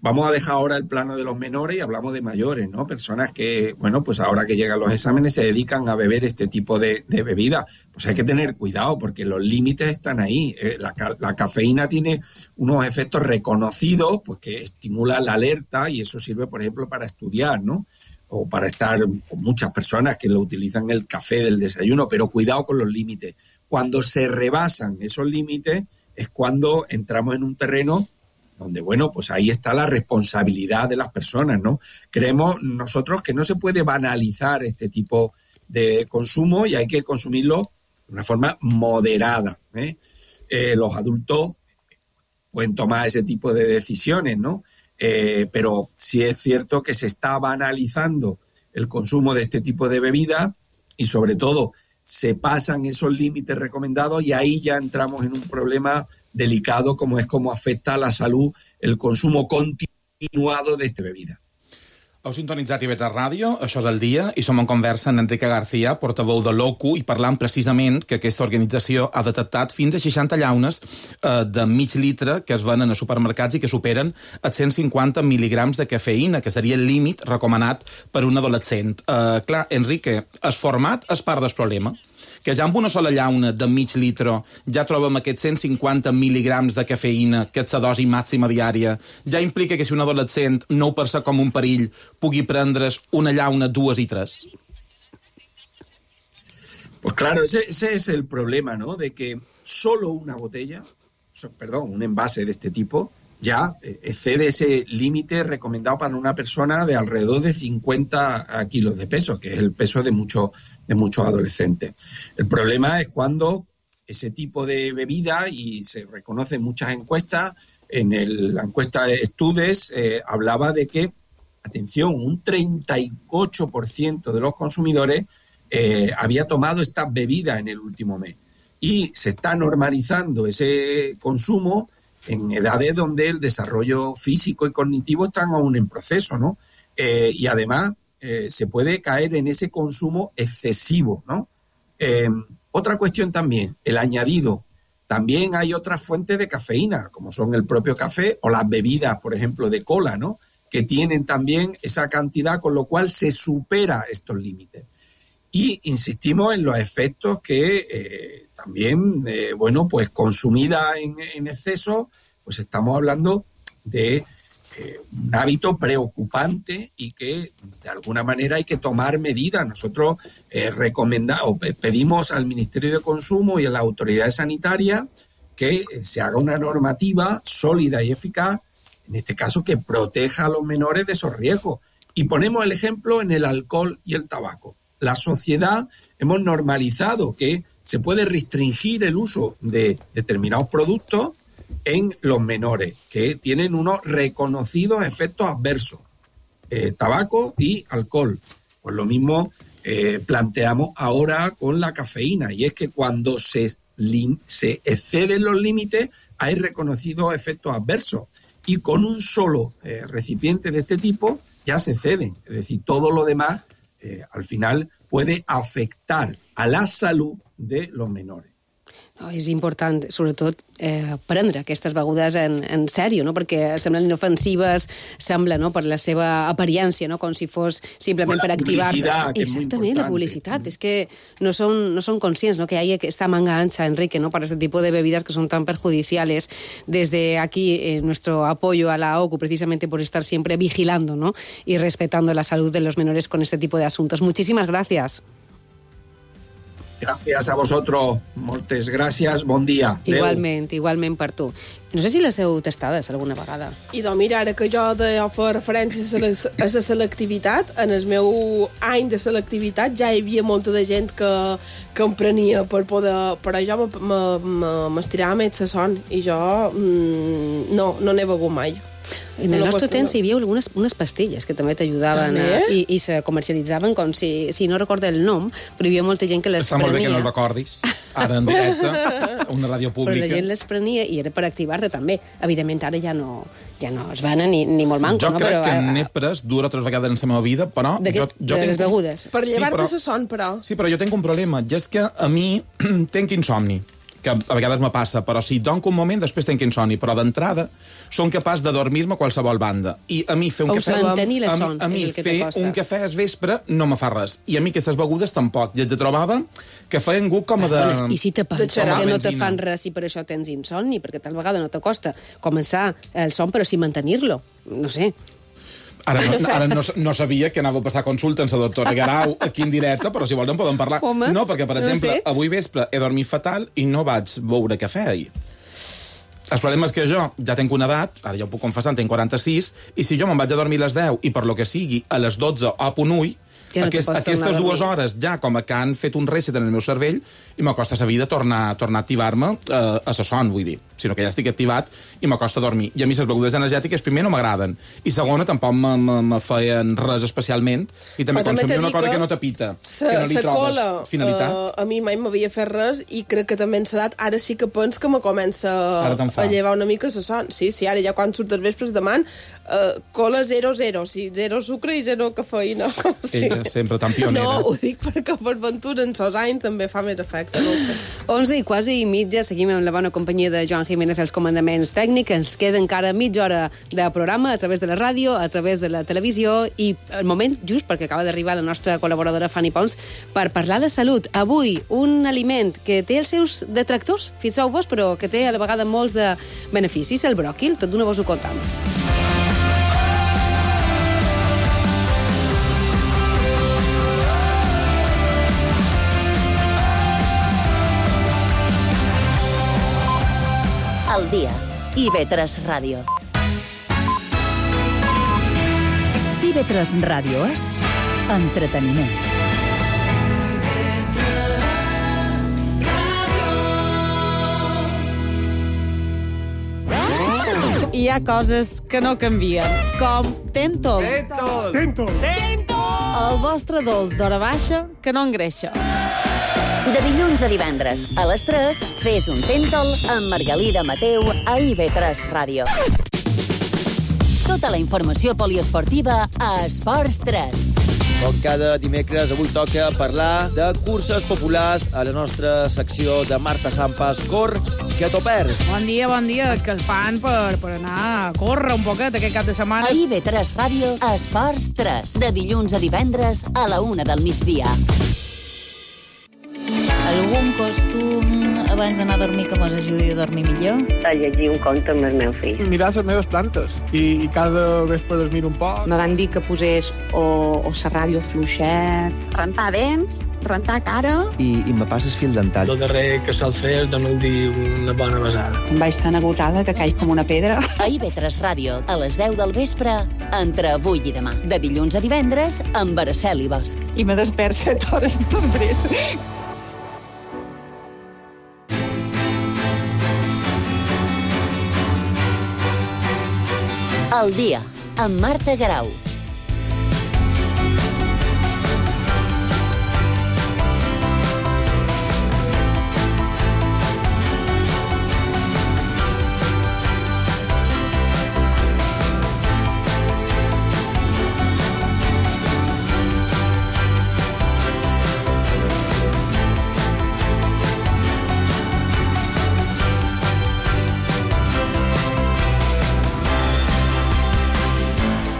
vamos a dejar ahora el plano de los menores y hablamos de mayores, ¿no? Personas que, bueno, pues ahora que llegan los exámenes se dedican a beber este tipo de, de bebida. Pues hay que tener cuidado porque los límites están ahí. Eh, la, la cafeína tiene unos efectos reconocidos, pues que estimulan la alerta y eso sirve, por ejemplo, para estudiar, ¿no? O para estar con muchas personas que lo utilizan el café del desayuno, pero cuidado con los límites. Cuando se rebasan esos límites es cuando entramos en un terreno donde, bueno, pues ahí está la responsabilidad de las personas, ¿no? Creemos nosotros que no se puede banalizar este tipo de consumo y hay que consumirlo de una forma moderada, ¿eh? Eh, los adultos pueden tomar ese tipo de decisiones, ¿no? Eh, pero sí es cierto que se está banalizando el consumo de este tipo de bebidas y sobre todo se pasan esos límites recomendados y ahí ya entramos en un problema delicado como es cómo afecta a la salud el consumo continuado de esta bebida. Heu sintonitzat I V tres Ràdio, això és el dia, i som en conversa amb Enrique García, portaveu de l'O C U, i parlant precisament que aquesta organització ha detectat fins a seixanta llaunes eh, de mig litre que es venen a supermercats i que superen els cent cinquanta mil·ligrams de cafeïna, que seria el límit recomanat per un adolescent. Eh, clar, Enrique, el format és part del problema, que ja amb una sola llauna de mig litre ja trobem aquests cent cinquanta mil·ligrams de cafeïna, que és la dosi màxima diària, ja implica que si un adolescent no ho percep com un perill, pugui prendre's una llauna, dues i tres? Pues claro, ese, ese es el problema, ¿no? De que solo una botella, perdón, un envase de este tipo, ya excede ese límite recomendado para una persona de alrededor de cincuenta kilos de peso, que es el peso de muchos de muchos adolescentes. El problema es cuando ese tipo de bebida, y se reconoce en muchas encuestas, en el, la encuesta de Estudes eh, hablaba de que, atención, un treinta y ocho por ciento de los consumidores eh, había tomado esta bebida en el último mes. Y se está normalizando ese consumo en edades donde el desarrollo físico y cognitivo están aún en proceso, ¿no? Eh, y además eh, se puede caer en ese consumo excesivo, ¿no? Eh, otra cuestión también, el añadido. También hay otras fuentes de cafeína, como son el propio café o las bebidas, por ejemplo, de cola, ¿no? Que tienen también esa cantidad, con lo cual se supera estos límites. Y insistimos en los efectos que eh, también, eh, bueno, pues consumida en, en exceso, pues estamos hablando de eh, un hábito preocupante y que de alguna manera hay que tomar medidas. Nosotros eh, recomendamos, pedimos al Ministerio de Consumo y a las autoridades sanitarias que se haga una normativa sólida y eficaz, en este caso que proteja a los menores de esos riesgos. Y ponemos el ejemplo en el alcohol y el tabaco. La sociedad hemos normalizado que se puede restringir el uso de determinados productos en los menores, que tienen unos reconocidos efectos adversos, eh, tabaco y alcohol. Pues lo mismo eh, planteamos ahora con la cafeína, y es que cuando se, se exceden los límites hay reconocidos efectos adversos, y con un solo eh, recipiente de este tipo ya se exceden, es decir, todo lo demás Eh, al final puede afectar a la salud de los menores. No, és important, sobretot, eh, prendre aquestes begudes en, en sèrio, no? Perquè semblen inofensives, sembla, no?, per la seva apariència, no?, com si fos simplement per activar-te. Exactament, la publicitat. Mm. És que no són, no són conscients, no?, que hay esta manga ancha, Enrique, ¿no?, para este tipo de bebidas que son tan perjudiciales. Desde aquí, eh, nuestro apoyo a la O C U, precisamente por estar siempre vigilando, ¿no?, y respetando la salud de los menores con este tipo de asuntos. Muchísimas gracias. Gràcies a vosaltres, moltes gràcies, bon dia. Igualment, Adeu. Igualment per tu. No sé si les heu tastades alguna vegada. I doncs mira, ara que jo de fer referència a la selectivitat, en el meu any de selectivitat ja hi havia molta de gent que, que em prenia per poder... Però jo m'estirava més la son i jo mm, no, no n'he begut mai. En el nostre temps hi havia algunes unes pastilles que també t'ajudaven a, i, i se comercialitzaven com si, si no recordo el nom, però hi havia molta gent que les Està prenia. molt bé que no el recordis, ara en directe, una ràdio pública. Però la gent les prenia i era per activar-te també. Evidentment, ara ja no, ja no es venen ni, ni molt manco, jo no? crec Però, que a, n'he pres dues o tres vegades en la meva vida, però... Jo, jo de les tinc... begudes. Per llevar-te sí, la son, però. Sí, però jo tinc un problema, i és que a mi tinc insomni, que a vegades me passa, però si donc un moment, després tinc insomni, però d'entrada són capaç de dormir-me a qualsevol banda. I a mi fer un o cafè... mantenir la son, a, a mi és el que fer t'acosta. un cafè al vespre no me fa res. I a mi aquestes begudes tampoc. I et trobava que feien gust com a de... I si te penses de que no te fan res i per això tens insomni, perquè tal vegada no t'acosta començar el son, però sí mantenir-lo. No sé. Ara, no, ara no, no sabia que anava a passar consulta amb la doctora Garau aquí en directe, però si volen podem parlar. Home, no, perquè, per no exemple, sé. avui vespre he dormit fatal i no vaig beure cafè ahir. El problema és que jo ja tenc una edat, ara ja ho puc confessar, en tinc quaranta-sis, i si jo me'n vaig a dormir a les deu i per lo que sigui a les dotze o a punt ull, Que no Aquest, aquestes dues hores ja com que han fet un reset en el meu cervell i m'acosta a la vida tornar, tornar a activar-me eh, a la son, vull dir, sinó que ja estic activat i m'acosta dormir. I a mi les begudes energètiques primer no m'agraden i segona tampoc me, me, me feien res especialment i també consumir una cosa que, que no t'apita, que no li trobes cola, finalitat. Uh, a mi mai m'havia fet res i crec que també en l'edat ara sí que pens que me comença a llevar una mica la son. Sí, sí, ara ja quan surts els vespres deman uh, cola zero zero, sí, zero sucre i zero cafeïna. Sí. Ella sempre tan pionera. No, ho dic perquè per ventura en sos anys també fa més efecte, no ho sé. onze i quasi mitja, seguim amb la bona companyia de Joan Jiménez als comandaments tècnics. Ens queda encara mitja hora de programa a través de la ràdio, a través de la televisió i el moment just perquè acaba d'arribar la nostra col·laboradora Fanny Pons per parlar de salut. Avui, un aliment que té els seus detractors, fixeu-vos, però que té a la vegada molts de beneficis, el bròquil. Tot d'una vos ho contam. Al dia. I ve tres Ràdio. I ve tres Ràdio és entreteniment. Hi ha coses que no canvien, com Tentol. Tentol. Tentol. Tentol. El vostre dolç d'hora baixa que no engreixa. De dilluns a divendres, a les tres, fes un Tentol amb Margalida Mateu a I V tres Ràdio. Tota la informació poliesportiva a Esports tres. Com cada dimecres, avui toca parlar de curses populars a la nostra secció de Marta Sampas, Cor, que t'ho perds. Bon dia, bon dia. És que el fan per, per anar a córrer un poquet aquest cap de setmana. A I V tres Ràdio, a Esports tres. De dilluns a divendres a la una del migdia. Algun costum abans d'anar a dormir que mos ajudi a dormir millor? A llegir un conte amb el meu fill. Mirar les meves plantes i, i cada vespre les miro un poc. Me van dir que posés o, o la ràdio fluixet. Rentar dents, rentar cara. I, i me passes fil dental. El darrer que sol fer és donar-li dir una bona besada. Em vaig tan agotada que caig com una pedra. A I V tres Ràdio, a les deu del vespre, entre avui i demà. De dilluns a divendres, amb Araceli Bosch. I me despert set hores després. Al dia, amb Marta Garau.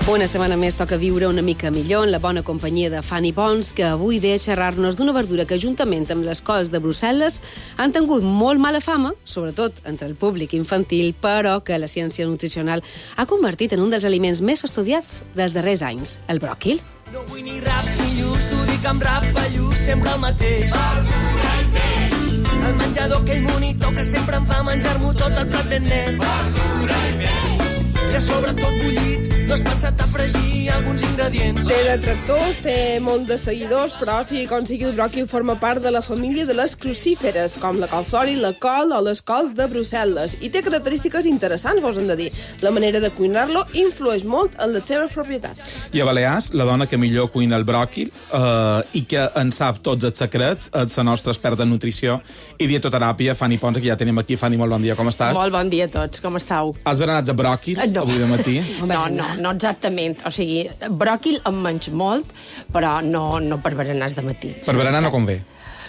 Una setmana més toca viure una mica millor en la bona companyia de Fanny Pons, que avui ve a xerrar-nos d'una verdura que, juntament amb les cols de Brussel·les, han tingut molt mala fama, sobretot entre el públic infantil, però que la ciència nutricional ha convertit en un dels aliments més estudiats dels darrers anys, el bròquil. No vull ni rap ni lluç, t'ho dic amb rap a lluç, sempre el mateix. Verdura i peix. El menjador, aquell monitor que sempre em fa menjar-m'ho tot el plat ben net. Verdura i peix. I a sobre tot bullit, no has pensat a fregir alguns ingredients. Té detractors, té molt de seguidors, però sigui com sigui, el bròquil forma part de la família de les crucíferes, com la col flori, la col o les cols de Brussel·les. I té característiques interessants, vos hem de dir. La manera de cuinar-lo influeix molt en les seves propietats. I a Balears, la dona que millor cuina el bròquil eh, i que en sap tots els secrets és la nostra experta en nutrició i dietoteràpia, Fanny Ponsa, que ja tenim aquí. Fanny, molt bon dia, com estàs? Molt bon dia a tots, com estàu? Has berenat de bròquil no. avui de matí? No, no, no exactament. O sigui, bròquil en menys molt, però no, no per berenars de matí. Per berenar no convé.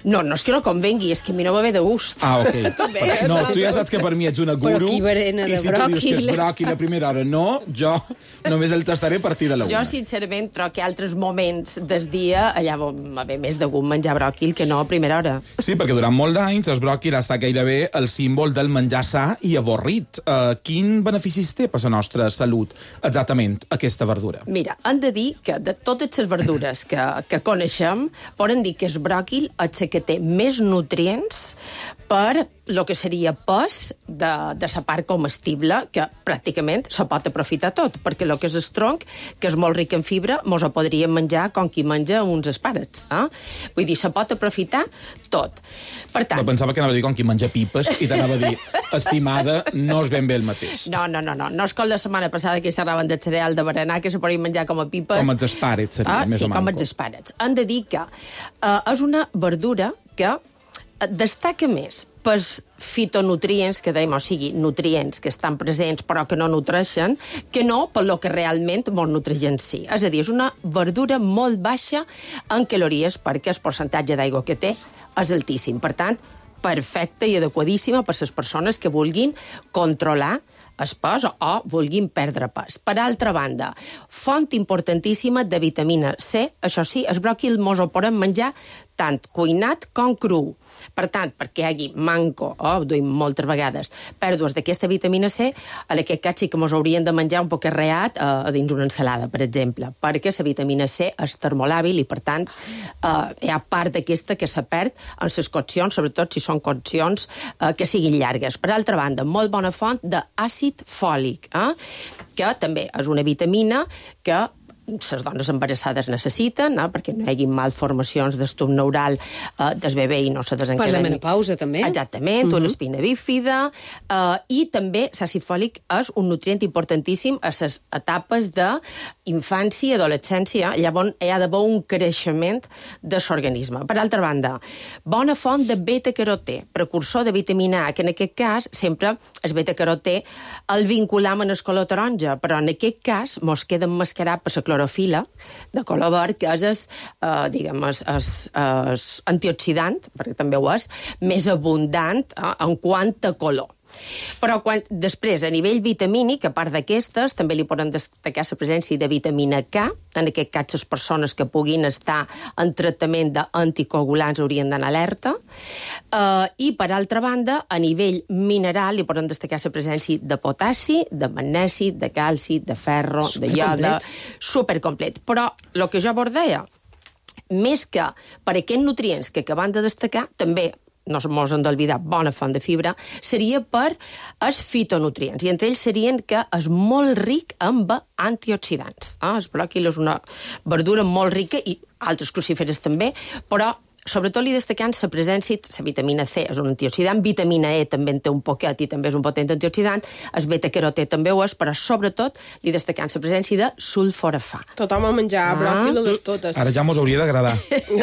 No, no és que no convengui, és que a mi no va bé de gust. Ah, ok. També, no, tu ja saps que per mi ets una guru, però qui berena de i si tu dius que és bròquil a primera hora, no, jo només el tastaré a partir de la una. Jo, sincerament, trobo que altres moments del dia allà va bé més de gust menjar bròquil que no a primera hora. Sí, perquè durant molt d'anys el bròquil ha estat gairebé el símbol del menjar sa i avorrit. Uh, quin beneficis té per la nostra salut, exactament, aquesta verdura? Mira, han de dir que de totes les verdures que, que coneixem, poden dir que el bròquil és que té més nutrients per el que seria pes de, de la part comestible, que pràcticament se pot aprofitar tot, perquè el que és el tronc, que és molt ric en fibra, mos ho podríem menjar com qui menja uns espàrrecs. Eh? Vull dir, se pot aprofitar tot. Per tant... No, pensava que anava a dir com qui menja pipes i t'anava a dir, estimada, no és ben bé el mateix. No, no, no, no. No és com la setmana passada que xerraven del cereal de berenar, que se podien menjar com a pipes. Com els espàrrecs, seria, ah, més sí, o manco. com els espàrrecs. Han de dir que uh, és una verdura que destaca més pels fitonutrients, que dèiem, o sigui, nutrients que estan presents però que no nutreixen, que no per lo que realment molt nutreix en si. És a dir, és una verdura molt baixa en calories perquè el percentatge d'aigua que té és altíssim. Per tant, perfecta i adequadíssima per les persones que vulguin controlar el pes o vulguin perdre pes. Per altra banda, font importantíssima de vitamina C. Això sí, el bròquil mos ho podem menjar tant cuinat com cru. Per tant, perquè hi hagi manco, o oh, ho duim moltes vegades, pèrdues d'aquesta vitamina C, en aquest cas sí que mos haurien de menjar un poc arreat eh, dins una ensalada, per exemple, perquè la vitamina C és termolàbil i, per tant, eh, hi ha part d'aquesta que se perd en les coccions, sobretot si són coccions eh, que siguin llargues. Per altra banda, molt bona font d'àcid fòlic, eh, que també és una vitamina que les dones embarassades necessiten, no? Perquè no hi hagi malformacions d'estub neural eh, del bebè i no se desencaden. Per la menopausa, també. Exactament, mm-hmm. una espina bífida, eh, i també l'àcid fòlic és un nutrient importantíssim a les etapes d'infància i adolescència, llavors hi ha d'haver un creixement de l'organisme. Per altra banda, bona font de beta-carotè, precursor de vitamina A, que en aquest cas sempre el beta-carotè el vinculam en el color taronja, però en aquest cas mos queda emmascarat per la clorofila de color verd, que és, es, eh, diguem, es, es, es antioxidant, perquè també ho és, més abundant eh, en quant a color. Però quan, després, a nivell vitamínic, a part d'aquestes, també li poden destacar la presència de vitamina K, en aquest cas les persones que puguin estar en tractament d'anticoagulants haurien d'anar alerta, uh, i per altra banda, a nivell mineral li poden destacar la presència de potassi, de magnesi, de calci, de ferro, de ioda, supercomplet. Però el que jo vos deia, més que per aquests nutrients que acabem de destacar, també no mos hem d'oblidar, bona font de fibra, seria per els fitonutrients. I entre ells serien que és molt ric amb antioxidants. Ah, el bròquil és una verdura molt rica, i altres crucíferes també, però sobretot li destacant la presència, la vitamina C és un antioxidant, vitamina E també en té un poquet i també és un potent antioxidant, el beta-carotè també ho és, però sobretot li destacant la presència de sulforafà. Tothom a menjar ah. bròquil a les totes. Ara ja mos hauria d'agradar.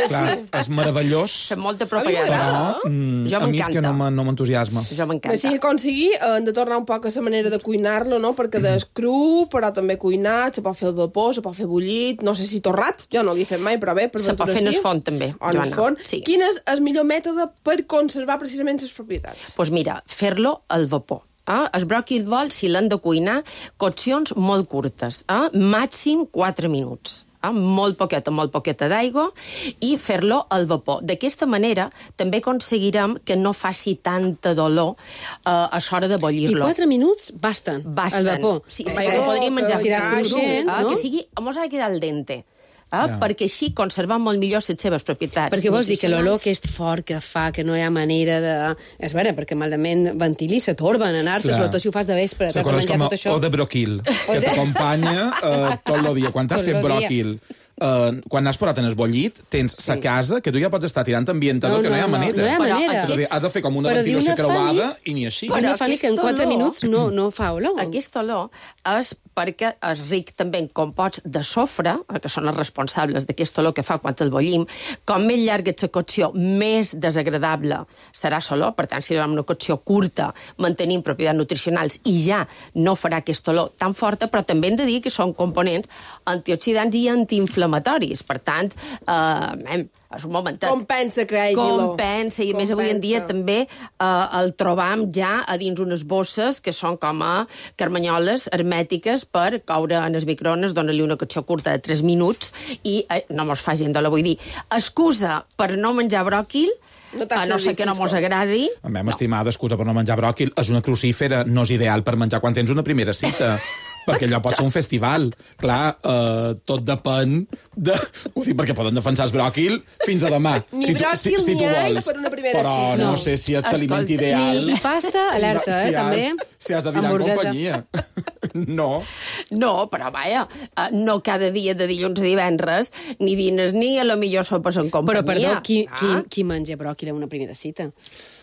Clar, és meravellós. Fem molta propaganda. Però mm, a mi és que no m'entusiasma. Jo m'encanta. Així que aconseguir, hem de tornar un poc a la manera de cuinar-lo, no? Perquè és cru, però també cuinat, se pot fer al vapor, se pot fer bullit, no sé si torrat, jo no l'he fet mai, però bé, per se pot fer en el forn també, Joana. Sí. Quin és el millor mètode per conservar precisament les propietats? Doncs pues mira, fer-lo al vapor. Eh? El bròquil vol, si l'han de cuinar, coccions molt curtes, eh? Màxim quatre minuts. Eh? Molt poqueta, molt poqueta d'aigua, i fer-lo al vapor. D'aquesta manera també aconseguirem que no faci tanta dolor eh, a l'hora de bollir-lo. I quatre minuts basten, basten. al vapor. Sí, sí, que podríem menjar que, cru, cruixent, eh? no? Que sigui, mos ha de quedar al dente. eh? Yeah. Perquè així conserven molt millor les seves propietats. Perquè vols dir que l'olor aquest fort que fa, que no hi ha manera de... És vera, perquè malament ventili, se torben a anar-se, sobretot si ho fas de vespre, t'has de menjar tot això. O de broquil, que t'acompanya uh, tot el dia. Quan t'has fet broquil... Uh, quan has posat en el bollit, tens sí. sa casa que tu ja pots estar tirant ambientador, no, que no hi ha manera. No, no hi ha manera. Aquests... Has de fer com una però ventilació creuada i ni així. Però una fali que en quatre olor, minuts no, no fa olor. Aquesta olor és perquè és ric també en composts de sofre, que són els responsables d'aquesta olor que fa quan el bollim. Com més llarga és la cocció, més desagradable serà l'olor. Per tant, si hi ha una cocció curta, mantenim propietats nutricionals i ja no farà aquesta olor tan forta, però també hem de dir que són components antioxidants i antiinflamatoris. Per tant, eh, és un momentet. Compensa que hi hagi olor. Compensa, i a més avui en dia també eh, el trobam ja a dins unes bosses que són com a carmanyoles hermètiques per coure en els microones, dona-li una cocció curta de tres minuts i eh, no mos fa gent d'olor. Vull dir, excusa per no menjar bròquil, no a no ser que no mos agradi. A mi, m'estimada, excusa per no menjar bròquil, és una crucífera, no és ideal per menjar quan tens una primera cita. Perquè allò pot ser un festival. Clar, eh, tot depèn de... Ho dic perquè poden defensar el bròquil fins a demà. Ni si bròquil tu, si, si ni all per una primera cita. Però no, no sé si és l'aliment ideal. Ni pasta, alerta, si, eh, si també. Has, si has de dinar en companyia. No. No, però vaja, no cada dia de dilluns a divendres, ni dines ni a lo millor sopes en companyia. Però, perdó, qui, ah. qui, qui menja bròquil en una primera cita?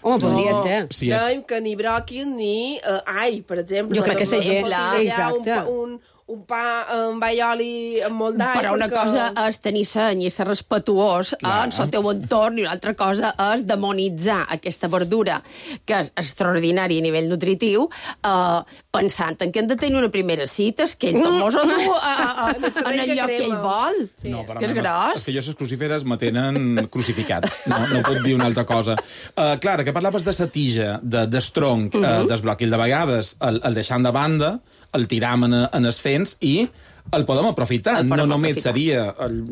Home, podria no, ser. Si no, que ni bròquil ni uh, ai, per exemple. Jo crec que seria... Exacte. Un, un pa amb aioli amb molt d'all. Però una perquè... cosa és tenir seny i ser respetuós en el teu entorn, i una altra cosa és demonitzar aquesta verdura, que és extraordinària a nivell nutritiu, eh, pensant en que hem de tenir una primera cita, és que ell tot mos ho du a, a, a, en el lloc que ell vol. Sí. No, és que és gros. És que jo les crucíferes me tenen crucificat. No, no puc dir una altra cosa. Uh, Clara, que parlaves de sa tija, de, d'estronc, uh -huh. uh, del bròquil, de vegades el, el deixant de banda, el tiram en, en els fens i el podem aprofitar. El podem no només aprofitar. Seria... El,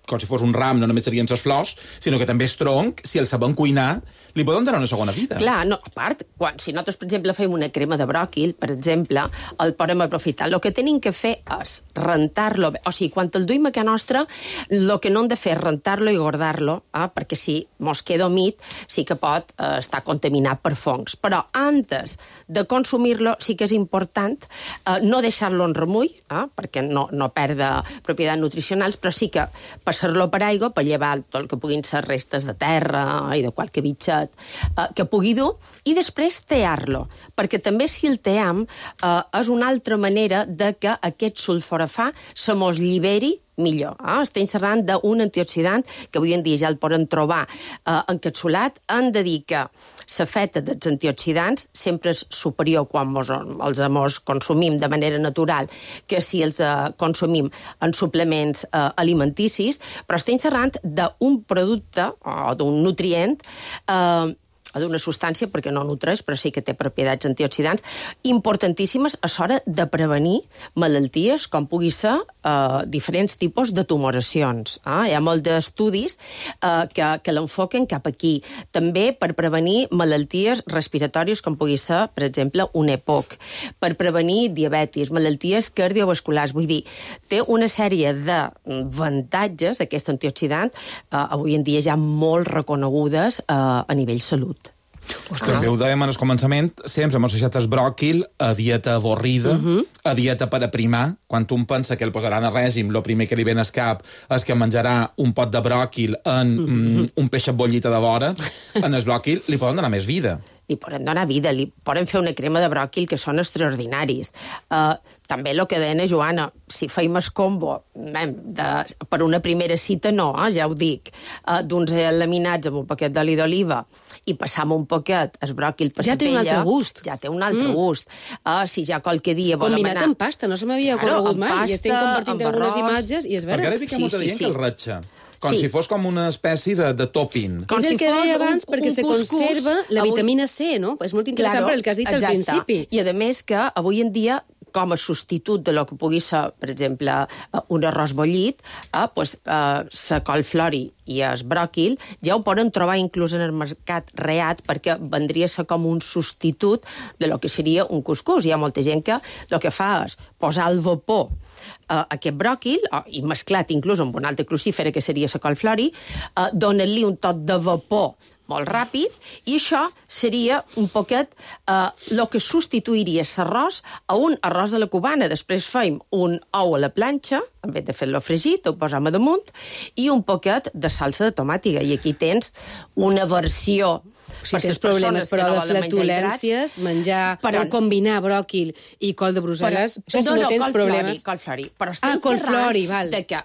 com si fos un ram, no només serien les flors, sinó que també és tronc, si el sabem cuinar, li podem donar una segona vida. Clar, no, a part, quan, si nosaltres, per exemple, fem una crema de bròquil, per exemple, el podem aprofitar. El que tenim que fer és rentar-lo bé. O sigui, quan el duim a casa nostra, el que no hem de fer és rentar-lo i guardar-lo, eh, perquè si mos queda humit, sí que pot eh, estar contaminat per fongs. Però antes de consumir-lo, sí que és important eh, no deixar-lo en remull, eh, perquè no, no perda propietats nutricionals, però sí que passar-lo per aigua per llevar tot el que puguin ser restes de terra i de qualque bitxet eh, que pugui dur, i després tear-lo, perquè també si el team eh, és una altra manera de que aquest sulforafà se mos lliberi millor. Eh? Estem parlant d'un antioxidant que avui en dia ja el poden trobar eh, encapsulat. Han de dir que la feta dels antioxidants sempre és superior quan mos, els mos consumim de manera natural que si els eh, consumim en suplements eh, alimenticis, però estem parlant d'un producte o d'un nutrient eh, o d'una substància, perquè no nutreix, però sí que té propietats antioxidants, importantíssimes a l'hora de prevenir malalties, com pugui ser eh, diferents tipus de tumoracions. Eh? Hi ha molts d'estudis eh, que, que l'enfoquen cap aquí. També per prevenir malalties respiratòries, com pugui ser, per exemple, un E P O C, per prevenir diabetis, malalties cardiovasculars. Vull dir, té una sèrie d'avantatges, aquest antioxidant, eh, avui en dia ja molt reconegudes eh, a nivell salut. Ostres. També ho dèiem en el començament, sempre hem deixat el bròquil a dieta avorrida, uh -huh. a dieta per aprimar. Quan un pensa que el posaran a règim, el primer que li ven al cap és que menjarà un pot de bròquil en uh -huh. mm, un peixet bollita de vora. En el bròquil li poden donar més vida. Li poden donar vida, li poden fer una crema de bròquil que són extraordinaris. Uh, també el que deia Joana, si feim el combo de, per una primera cita, no, eh, ja ho dic, uh, d'uns laminats amb un paquet d'oli d'oliva i passam un poquet el bròquil per ja la pella... Ja té un altre gust. Ja té un altre mm. gust. Uh, si ja qualque dia volem Combinat anar... amb pasta, no se m'havia claro, corregut mai. Pasta, I estem compartint algunes imatges i és vera. Perquè ara dic que molta sí, sí, gent sí. que el ratxa. Com sí. si fos com una espècie de, de topping. Com és el si que deia abans, un, perquè un se conserva la vitamina C, no? És molt interessant per el que has dit exacte. al principi. I a més que avui en dia com a substitut de lo que pugui ser, per exemple, un arròs bullit, eh, pues, eh, la colflori i el bròquil ja ho poden trobar inclús en el mercat reat, perquè vendria a ser com un substitut de lo que seria un cuscús. Hi ha molta gent que el que fa és posar al vapor eh, aquest bròquil, eh, i mesclat inclús amb una altra crucífera, que seria la colflori, eh, donen-li un tot de vapor molt ràpid, i això seria un poquet el eh, que substituiria l'arròs a un arròs a la cubana. Després feim un ou a la planxa, en vez de fer-lo fregit, ho posam a damunt, i un poquet de salsa de tomàtiga. I aquí tens una versió... Si tens problemes, però, de flatulències, menjar, però combinar bròquil i col de Brussel·les, això si no tens problemes... Colflori, però estem ah, colflori, val. de que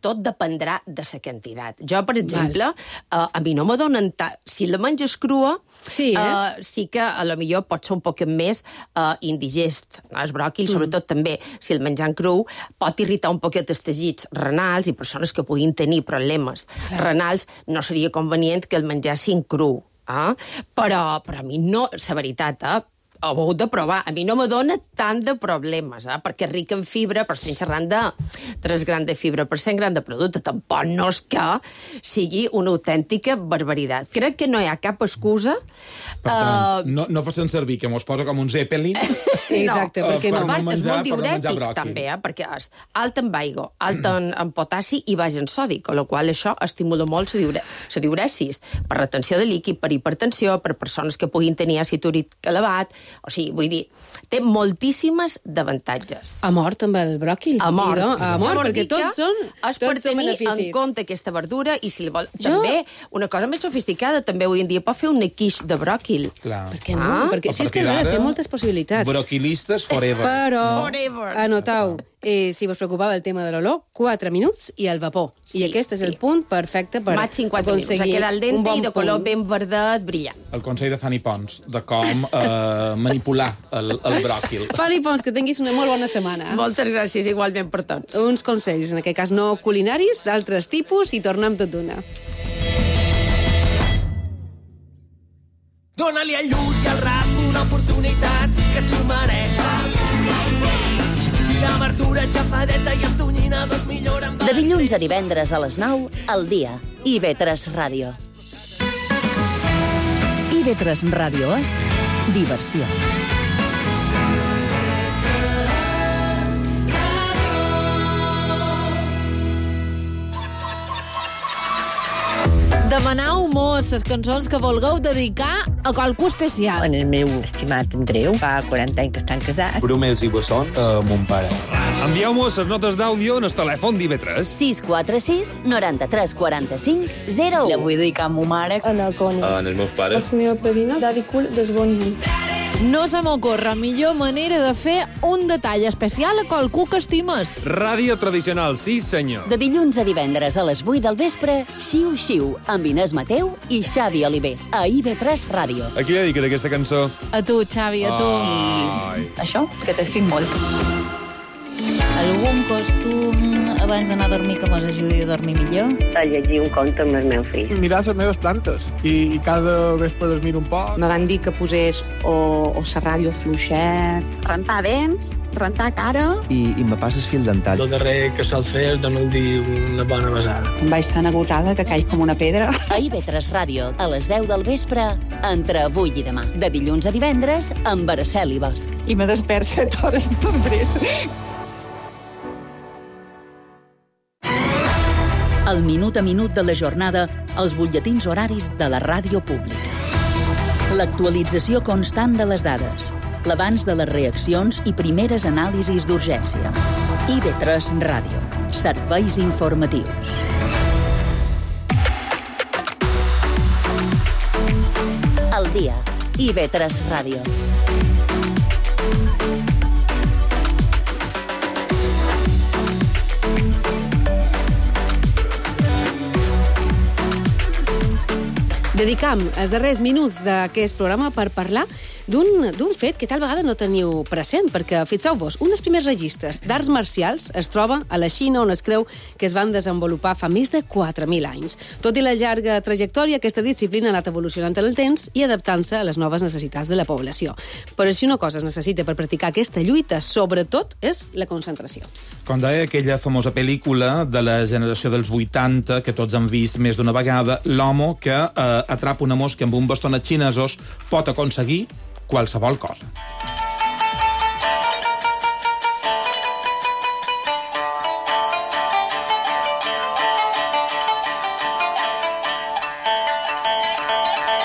tot dependrà de la quantitat. Jo, per exemple, uh, a mi no me donen... Ta... Si la menges crua, sí, eh? uh, sí que a lo millor pot ser un poc més uh, indigest. El bròquil, mm. sobretot també, si el menjant cru, pot irritar un poquet els teixits renals, i persones que puguin tenir problemes Clar. renals, no seria convenient que el mengessin cru. Eh? Però, però a mi no, la veritat, eh? ho heu de provar. A mi no me dona tant de problemes, eh? perquè és ric en fibra, però estem xerrant de tres grams de fibra per cent gram de producte. Tampoc no és que sigui una autèntica barbaritat. Crec que no hi ha cap excusa. Per tant, uh... no, no facin servir, que mos posa com un zeppelin. Exacte, no, perquè per no. no part, menjar, és molt diurètic, no també, eh? perquè és alt en aigua, alt en, en potassi i baix en sodi, amb la qual això estimula molt la diure... diuresis, per retenció de líquid, per hipertensió, per persones que puguin tenir àcid úric elevat. O sigui, vull dir, té moltíssimes d'avantatges. A mort amb el bròquil. A mort. No? A mort, perquè tots són, és tots per tenir beneficis. en compte aquesta verdura, i si vol... Jo... També, una cosa més sofisticada, també avui en dia pot fer un quiche de bròquil. Clar. Per què no? Ah? Perquè, si és que té moltes possibilitats. Broquilistes forever. Però, Forever. anotau, eh, si vos preocupava el tema de l'olor, quatre minuts i el vapor. Sí, I aquest és sí. el punt perfecte per Maig cinquanta minuts, a quedar al dente bon i de color punt. ben verdet, brillant. El consell de Fanny Pons, de com eh, manipular el, el bròquil. Fanny Pons, que tinguis una molt bona setmana. Moltes gràcies, igualment per tots. Uns consells, en aquest cas no culinaris, d'altres tipus, i tornem tot d'una. Dóna-li al lluç i al rap una oportunitat que s'ho mereix. I la verdura xafadeta i amb tonyina dos millor amb... De dilluns a divendres a les nou, al dia. I ve tres Ràdio. I ve tres Ràdio és diversió. Demanau mos les cançons que vulgueu dedicar a qualcú especial. En el meu estimat Andreu, fa quaranta anys que estan casats. Brumels i bessons a mon pare. Envieu-mos les notes d'àudio en el telèfon d'I V tres. sis quatre sis, noranta-tres, quaranta-cinc, zero u. La vull dedicar a ma mare. A la Connie. En els meus pares. La meva padrina, Daddy Cool, desbonint. No se m'ocorre millor manera de fer un detall especial a qualcú que estimes. Ràdio tradicional, sí senyor. De dilluns a divendres a les vuit del vespre, Xiu Xiu, amb Inés Mateu i Xavi Oliver, a I V tres Ràdio. A qui dediques aquesta cançó? A tu, Xavi, a tu. Ai. Això, que t'estic molt. Algun costum abans d'anar a dormir que mos ajudi a dormir millor? A llegir un conte amb el meu fill. Mirar les meves plantes i, i cada vespre les miro un poc. Me van dir que posés o, o la ràdio fluixet. Rentar dents, rentar cara... I, i me passes fil dental. El darrer que sol fer és donar-li una bona besada. Em vaig tan agotada que caig com una pedra. A I V tres Ràdio, a les deu del vespre, entre avui i demà. De dilluns a divendres, amb Araceli Bosch. I me despert set hores després. El minut a minut de la jornada als butlletins horaris de la ràdio pública. L'actualització constant de les dades, l'abans de les reaccions i primeres anàlisis d'urgència. I V tres Ràdio. Serveis informatius. Al dia. I V tres Ràdio. Dedicam els darrers minuts d'aquest programa per parlar d'un fet que tal vegada no teniu present, perquè, fixeu-vos, un dels primers registres d'arts marcials es troba a la Xina, on es creu que es van desenvolupar fa més de quatre mil anys. Tot i la llarga trajectòria, aquesta disciplina ha anat evolucionant en el temps i adaptant-se a les noves necessitats de la població. Però si una cosa es necessita per practicar aquesta lluita, sobretot, és la concentració. Com deia aquella famosa pel·lícula de la generació dels vuitanta, que tots han vist més d'una vegada, l'home que eh, atrapa una mosca amb un bastonet xinesos pot aconseguir qualsevol cosa.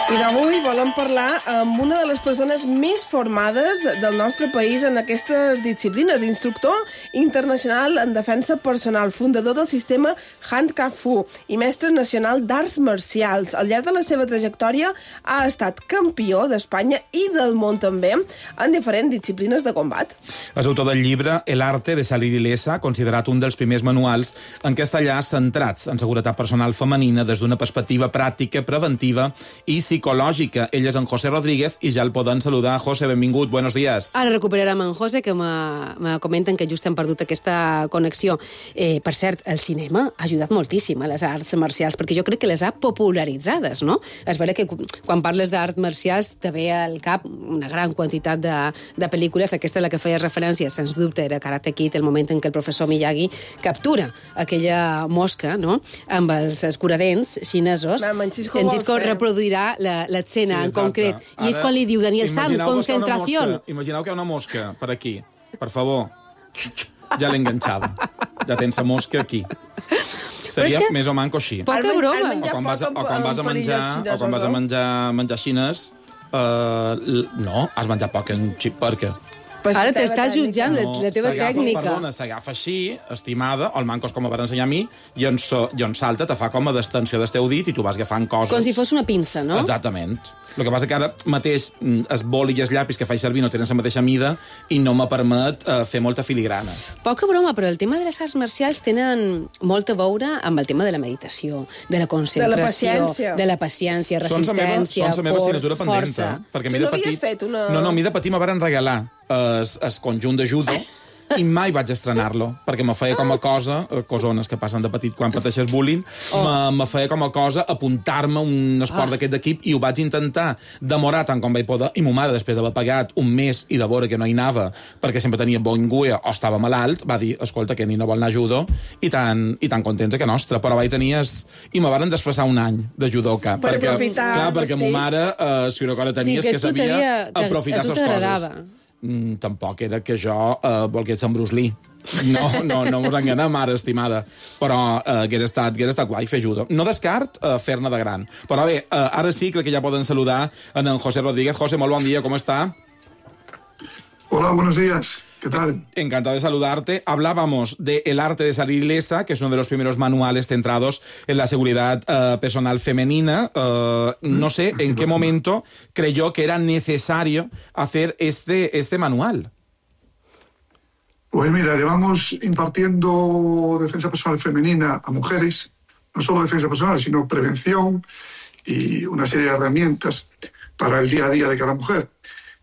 I d'avui volem parlar amb una de les persones més formades del nostre país en aquestes disciplines, instructor internacional en defensa personal, fundador del sistema Handcraft Fu i mestre nacional d'arts marcials. Al llarg de la seva trajectòria ha estat campió d'Espanya i del món també en diferents disciplines de combat. És autor del llibre El arte de salir ilesa, considerat un dels primers manuals en castellà centrats en seguretat personal femenina des d'una perspectiva pràctica, preventiva i psicològica. Ell és en José Rodríguez i ja el poden saludar. José, benvingut, buenos días. Ara recuperarem en José, que me comenten que just hem perdut aquesta connexió. Eh, per cert, el cinema ha ajudat moltíssim a les arts marcials, perquè jo crec que les ha popularitzades, no? És vera que quan parles d'arts marcials te ve al cap una gran quantitat de, de pel·lícules. Aquesta a la que feies referència, sens dubte, era Karate Kid, el moment en què el professor Miyagi captura aquella mosca, no?, amb els escuradents xinesos. En Xisco reproduirà l'escena en concret. I és quan li diu Daniel San, concentració. Imagineu que hi ha una mosca per aquí. Per favor. Ja l'he enganxada. Ja tens la mosca aquí. Seria més o manco així. Poca broma. O quan vas, o quan vas a menjar, o quan vas a menjar, menjar xines, uh, no, has menjat poc en xip, perquè... Ara t'estàs jutjant la, la teva tècnica. Perdona, s'agafa així, estimada, o el manco és com em van ensenyar a mi, i on, so, i on salta te fa com a d'extensió del teu dit i tu vas agafant coses. Com si fos una pinça, no? Exactament. El que passa que ara mateix es boli i els llapis que faig servir no tenen la mateixa mida i no me permet uh, fer molta filigrana. Poca broma, però el tema de les arts marcials tenen molt a veure amb el tema de la meditació, de la concentració, de la paciència, de la paciència resistència, són la meva assignatura pendent, perquè tu no havies fet una... No, no, a mi de petit me varen regalar es, es conjunt de judo i mai vaig estrenar-lo, perquè me feia com a cosa, cosones que passen de petit quan pateixes bullying, oh. me, me feia com a cosa apuntar-me un esport ah. d'aquest d'equip i ho vaig intentar demorar tant com vaig poder, i mo mare, després d'haver pagat un mes i de veure que no hi anava, perquè sempre tenia bon guia o estava malalt, va dir, escolta, que ni no vol anar a judo, i tan, i tan contents que nostra, però vaig tenir... Es... I me varen desfasar un any de judoka, per perquè, aprofitar, clar, perquè mo mare, eh, si una cosa tenies, sí, que, que sabia aprofitar les coses. Mm, tampoc era que jo eh, volgués ser en Bruce Lee. No, no, no mos enganem, mare estimada. Però eh, hagués estat, hagués estat guai fer judo. No descart eh, fer-ne de gran. Però bé, eh, ara sí, crec que ja poden saludar en, en José Rodríguez. José, molt bon dia, com està? Hola, buenos días. ¿Qué tal? Encantado de saludarte. Hablábamos de El arte de salir ilesa, que es uno de los primeros manuales centrados en la seguridad uh, personal femenina. Uh, no sé en qué momento creyó que era necesario hacer este, este manual. Pues mira, llevamos impartiendo defensa personal femenina a mujeres, no solo defensa personal, sino prevención y una serie de herramientas para el día a día de cada mujer.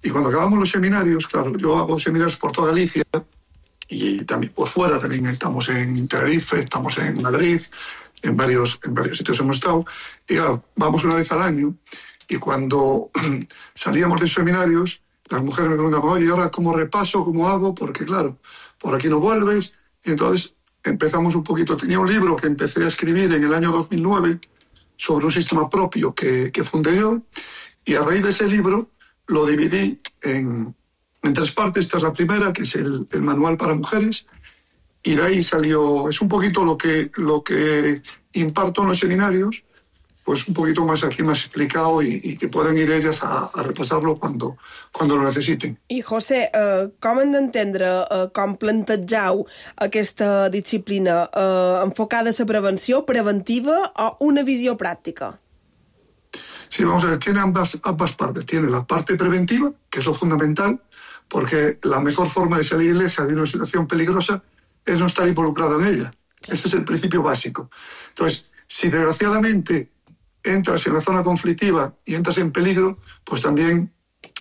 Y cuando acabamos los seminarios, claro, yo hago seminarios por toda Galicia y también por fuera, también estamos en Tenerife, estamos en Madrid, en varios, en varios sitios hemos estado. Y claro, vamos una vez al año y cuando salíamos de seminarios, las mujeres me preguntaban, oye, ¿ahora cómo repaso, cómo hago? Porque claro, por aquí no vuelves. Y entonces empezamos un poquito. Tenía un libro que empecé a escribir en el año dos mil nueve sobre un sistema propio que, que fundé yo, y a raíz de ese libro lo dividí en, en tres partes. Esta es la primera, que es el, el manual para mujeres, y de ahí salió, es un poquito lo que, lo que imparto en los seminarios, pues un poquito más aquí más explicado y, y que pueden ir ellas a, a repasarlo cuando, cuando lo necesiten. I José, eh, com hem d'entendre, eh, com plantejau aquesta disciplina, eh, enfocada a la prevenció, preventiva o una visió pràctica? Sí, vamos a ver, tiene ambas, ambas partes. Tiene la parte preventiva, que es lo fundamental, porque la mejor forma de salir ilesa de una situación peligrosa es no estar involucrado en ella. Ese es el principio básico. Entonces, si desgraciadamente entras en la zona conflictiva y entras en peligro, pues también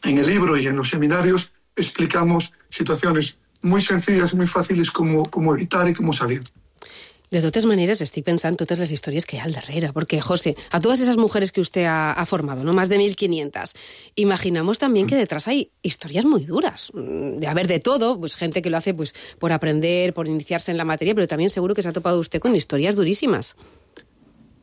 en el libro y en los seminarios explicamos situaciones muy sencillas, muy fàcils com, com evitar i com salir. De totes maneres, estic pensant totes les històries que hi ha al darrere, porque, José, a todas esas mujeres que usted ha, ha formado, ¿no? Más de mil quinientas, imaginamos también que detrás hay historias muy duras, de haber de todo, pues gente que lo hace pues por aprender, por iniciarse en la materia, pero también seguro que se ha topado usted con historias durísimas.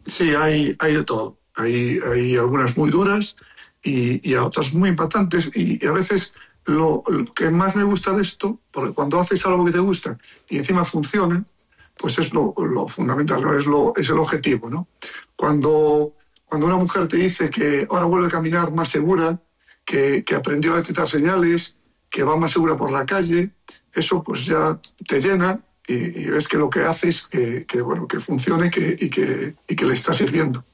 Sí, hay, hay de todo. Hay, hay algunas muy duras y, y otras muy impactantes, y, y a veces lo, lo que más me gusta de esto, porque cuando haces algo que te gusta y encima funciona, pues es lo, lo fundamental, ¿no? es, lo, es el objetivo, ¿no? Cuando, cuando una mujer te dice que ahora vuelve a caminar más segura, que, que aprendió a detectar señales, que va más segura por la calle, eso pues ya te llena y, y ves que lo que haces que, que, bueno, que funcione que, y, que, y que le está sirviendo.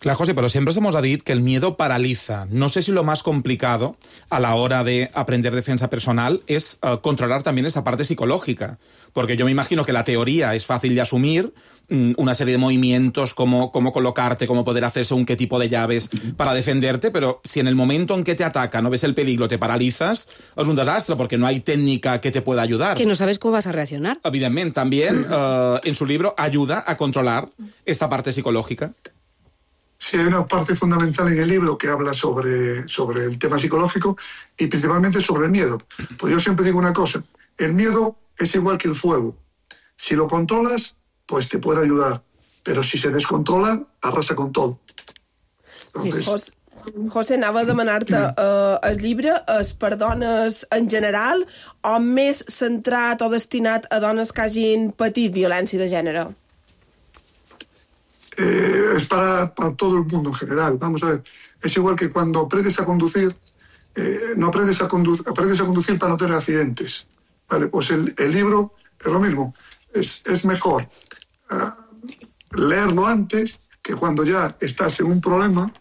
Claro, José, pero siempre se nos ha dicho que el miedo paraliza. No sé si lo más complicado a la hora de aprender defensa personal es uh, controlar también esta parte psicológica. Porque yo me imagino que la teoría es fácil de asumir, mmm, una serie de movimientos, cómo, cómo colocarte, cómo poder hacer según qué tipo de llaves para defenderte, pero si en el momento en que te ataca no ves el peligro, te paralizas, es un desastre porque no hay técnica que te pueda ayudar. Que no sabes cómo vas a reaccionar. Evidentment, también uh, en su libro ayuda a controlar esta parte psicológica. Sí, hay una parte fundamental en el libro que habla sobre, sobre el tema psicológico y principalmente sobre el miedo. Pues yo siempre digo una cosa, el miedo es igual que el fuego. Si lo controlas, pues te puede ayudar, pero si se descontrola, arrasa con todo. Entonces... José, José, anava a demanar-te, uh, el llibre és per dones en general o més centrat o destinat a dones que hagin patit violència de gènere? Eh, es para, para todo el mundo en general. Vamos a ver, es igual que cuando aprendes a conducir, eh, no aprendes a, condu aprendes a conducir para no tener accidentes. Vale, pues el, el libro es lo mismo. Es, es mejor uh, leerlo antes que cuando ya estás en un problema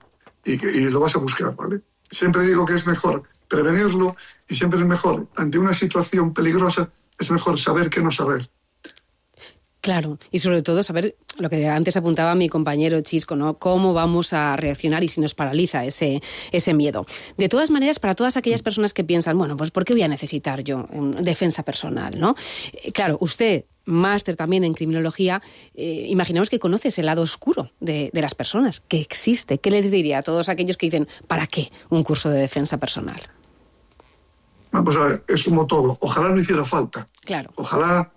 y, que, y lo vas a buscar, ¿vale? Siempre digo que es mejor prevenirlo y siempre es mejor, ante una situación peligrosa, es mejor saber que no saber. Claro, y sobre todo saber lo que antes apuntaba mi compañero Chisco, ¿no? Cómo vamos a reaccionar y si nos paraliza ese, ese miedo. De todas maneras, para todas aquellas personas que piensan, bueno, pues ¿por qué voy a necesitar yo defensa personal, ¿no? Eh, claro, usted, máster también en criminología, eh, imaginamos que conoce ese lado oscuro de, de las personas, que existe. ¿Qué les diría a todos aquellos que dicen, ¿para qué un curso de defensa personal? Vamos a ver, es como todo. Ojalá no hiciera falta. Claro. Ojalá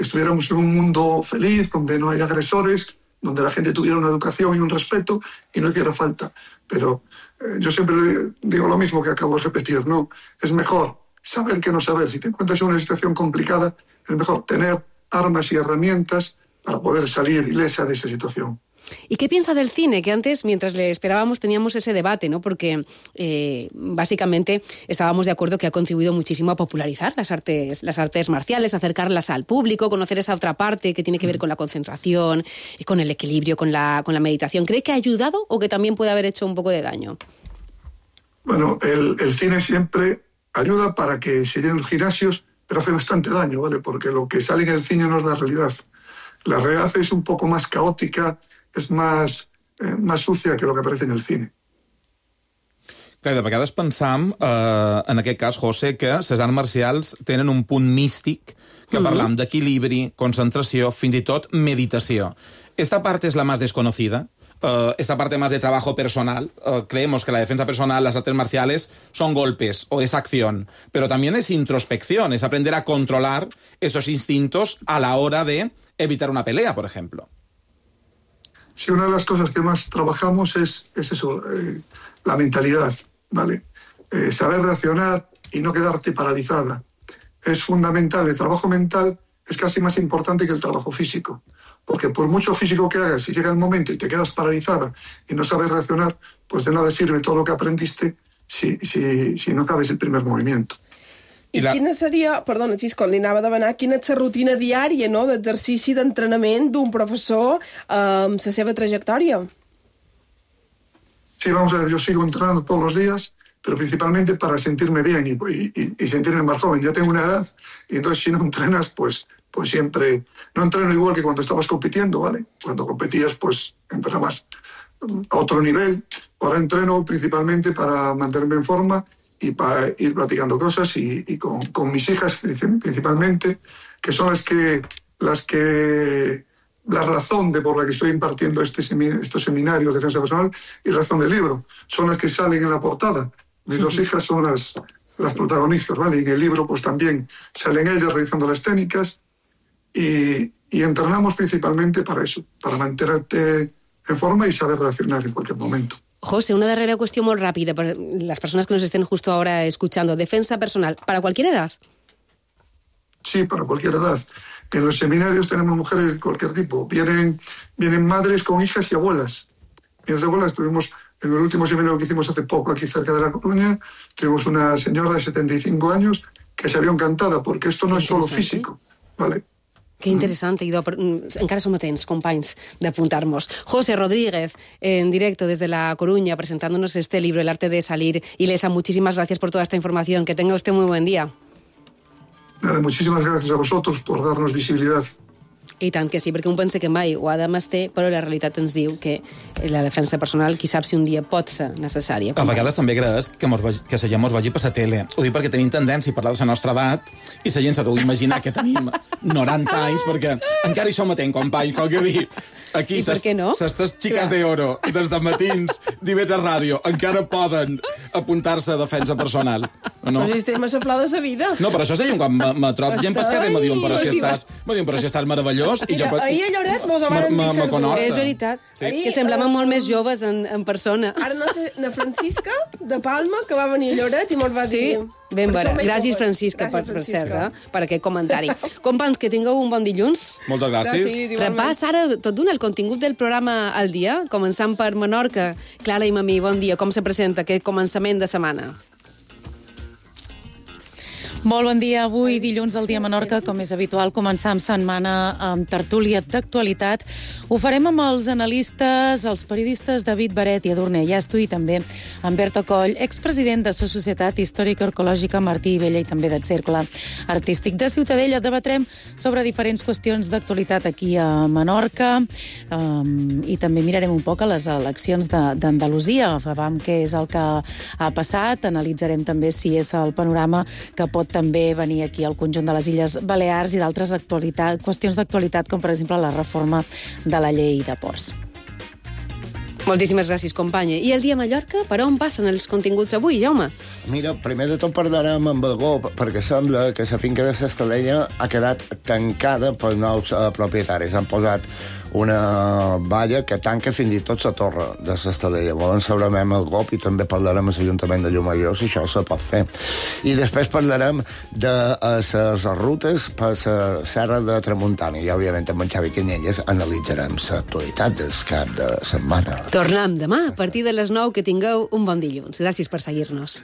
estuviéramos en un mundo feliz, donde no hay agresores, donde la gente tuviera una educación y un respeto y no hiciera falta. Pero eh, yo siempre digo lo mismo que acabo de repetir, ¿no? Es mejor saber que no saber. Si te encuentras en una situación complicada, es mejor tener armas y herramientas para poder salir ilesa de esa situación. ¿Y qué piensa del cine? Que antes, mientras le esperábamos, teníamos ese debate, ¿no? Porque eh, básicamente estábamos de acuerdo que ha contribuido muchísimo a popularizar las artes, las artes marciales, acercarlas al público, conocer esa otra parte que tiene que ver con la concentración, y con el equilibrio, con la, con la meditación. ¿Cree que ha ayudado o que también puede haber hecho un poco de daño? Bueno, el, el cine siempre ayuda para que se llenen los gimnasios, pero hace bastante daño, ¿vale? Porque lo que sale en el cine no es la realidad. La realidad es un poco más caótica, és més, eh, més sucia que el que aparece en el cine. Clar, de vegades pensam, eh, en aquest cas, José, que les arts marcials tenen un punt místic que mm-hmm. parlam d'equilibri, concentració, fins i tot meditació. Esta parte es la más desconocida. Uh, esta parte más de trabajo personal. Uh, creemos que la defensa personal, las artes marciales, son golpes o es acción. Pero también es introspección, es aprender a controlar estos instintos a la hora de evitar una pelea, por ejemplo. Sí, una de las cosas que más trabajamos es, es eso, eh, la mentalidad, ¿vale? Eh, saber reaccionar y no quedarte paralizada. Es fundamental. El trabajo mental es casi más importante que el trabajo físico. Porque por mucho físico que hagas, si llega el momento y te quedas paralizada y no sabes reaccionar, pues de nada sirve todo lo que aprendiste si, si, si no sabes el primer movimiento. I, I la... quina seria, perdona, Xisco, li anava a demanar, quina és la rutina diària, no?, d'exercici d'entrenament d'un professor eh, amb la seva trayectòria? Sí, vamos a ver, yo sigo entrenando todos los días, pero principalmente para sentirme bien y, y, y sentirme más joven. Ya tengo una edad y entonces si no entrenas, pues, pues siempre... No entreno igual que cuando estabas compitiendo, ¿vale? Cuando competías, pues entrenabas a otro nivel. Ahora entreno principalmente para mantenerme en forma y para ir practicando cosas y, y con, con mis hijas principalmente, que son las que, las que la razón de por la que estoy impartiendo este semin, estos seminarios de defensa personal y razón del libro. Son las que salen en la portada. Mis dos hijas son las, las protagonistas, ¿vale? Y en el libro pues también salen ellas realizando las técnicas y, y entrenamos principalmente para eso, para mantenerte en forma y saber reaccionar en cualquier momento. José, una darrera cuestión muy rápida para las personas que nos estén justo ahora escuchando. Defensa personal, ¿para cualquier edad? Sí, para cualquier edad. En los seminarios tenemos mujeres de cualquier tipo. Vienen, vienen madres con hijas y abuelas. Y las abuelas tuvimos, en el último seminario que hicimos hace poco aquí cerca de La Coruña, tuvimos una señora de setenta y cinco años que se vio encantada, porque esto no es solo físico, ¿vale? Que interessant, Idò. Encara som a temps, companys, d'apuntar-nos. José Rodríguez, en directo desde La Coruña, presentándonos este libro, El arte de salir ilesa. Muchísimas gracias por toda esta información. Que tenga usted muy buen día. Nada, muchísimas gracias a vosotros por darnos visibilidad. I tant que sí, perquè un pensa que mai ho ha de menester, però la realitat ens diu que la defensa personal, qui sap si un dia pot ser necessària. A vegades també creus que, mos vagi, que la gent mos vagi per la tele. Ho dic perquè tenim tendència a parlar de la nostra edat i la gent s'ha d'imaginar que tenim noranta anys, perquè encara hi som a temps, company, com que dir. Aquí, s'estes xiques d'oro, des de matins, d'I V tres Ràdio, encara poden apuntar-se a defensa personal. No? Però si estem a la flor de la vida. No, però això seria un quan me trob gent pescada i me diuen, però si estàs, me diuen, però si estàs meravellós. I jo, ahir a Lloret mos ho van dir servir. És veritat, sí. Que semblaven molt més joves en, en persona. Ara no sé, na Francisca de Palma, que va venir a Lloret i mos va dir... Sí? Ben vera. Gràcies, Francisca, per, per cert, eh? Per aquest comentari. Companys, que tingueu un bon dilluns. Moltes gràcies. gràcies Repàs ara tot d'un el contingut del programa al dia, començant per Menorca. Clara i Mamí, bon dia. Com se presenta aquest començament de setmana? Molt bon dia. Avui, dilluns, al dia Menorca, com és habitual, començar amb setmana amb tertúlia d'actualitat. Ho farem amb els analistes, els periodistes David Baret i Edurne Llasto i també amb Berta Coll, expresident de la Societat Històrica Arqueològica Martí i Vella i també del Cercle Artístic de Ciutadella. Debatrem sobre diferents qüestions d'actualitat aquí a Menorca um, i també mirarem un poc a les eleccions d'Andalusia. Vam què és el que ha passat, analitzarem també si és el panorama que pot també venir aquí al conjunt de les Illes Balears i d'altres qüestions d'actualitat, com per exemple la reforma de la llei de ports. Moltíssimes gràcies, companya. I el dia a Mallorca, per on passen els continguts avui, Jaume? Mira, primer de tot parlarem amb Algó, perquè sembla que la finca de l'Estalella ha quedat tancada pels nous uh, propietaris. Han posat una valla que tanca fins i tot la torre de l'Estalella. Volen saber amb el G O P i també parlarem amb l'Ajuntament de Llumajor si això se pot fer. I després parlarem de les rutes per la Serra de Tramuntana i, òbviament, amb en Xavi Canyelles analitzarem l'actualitat del cap de setmana. Tornem demà a partir de les nou. Que tingueu un bon dilluns. Gràcies per seguir-nos.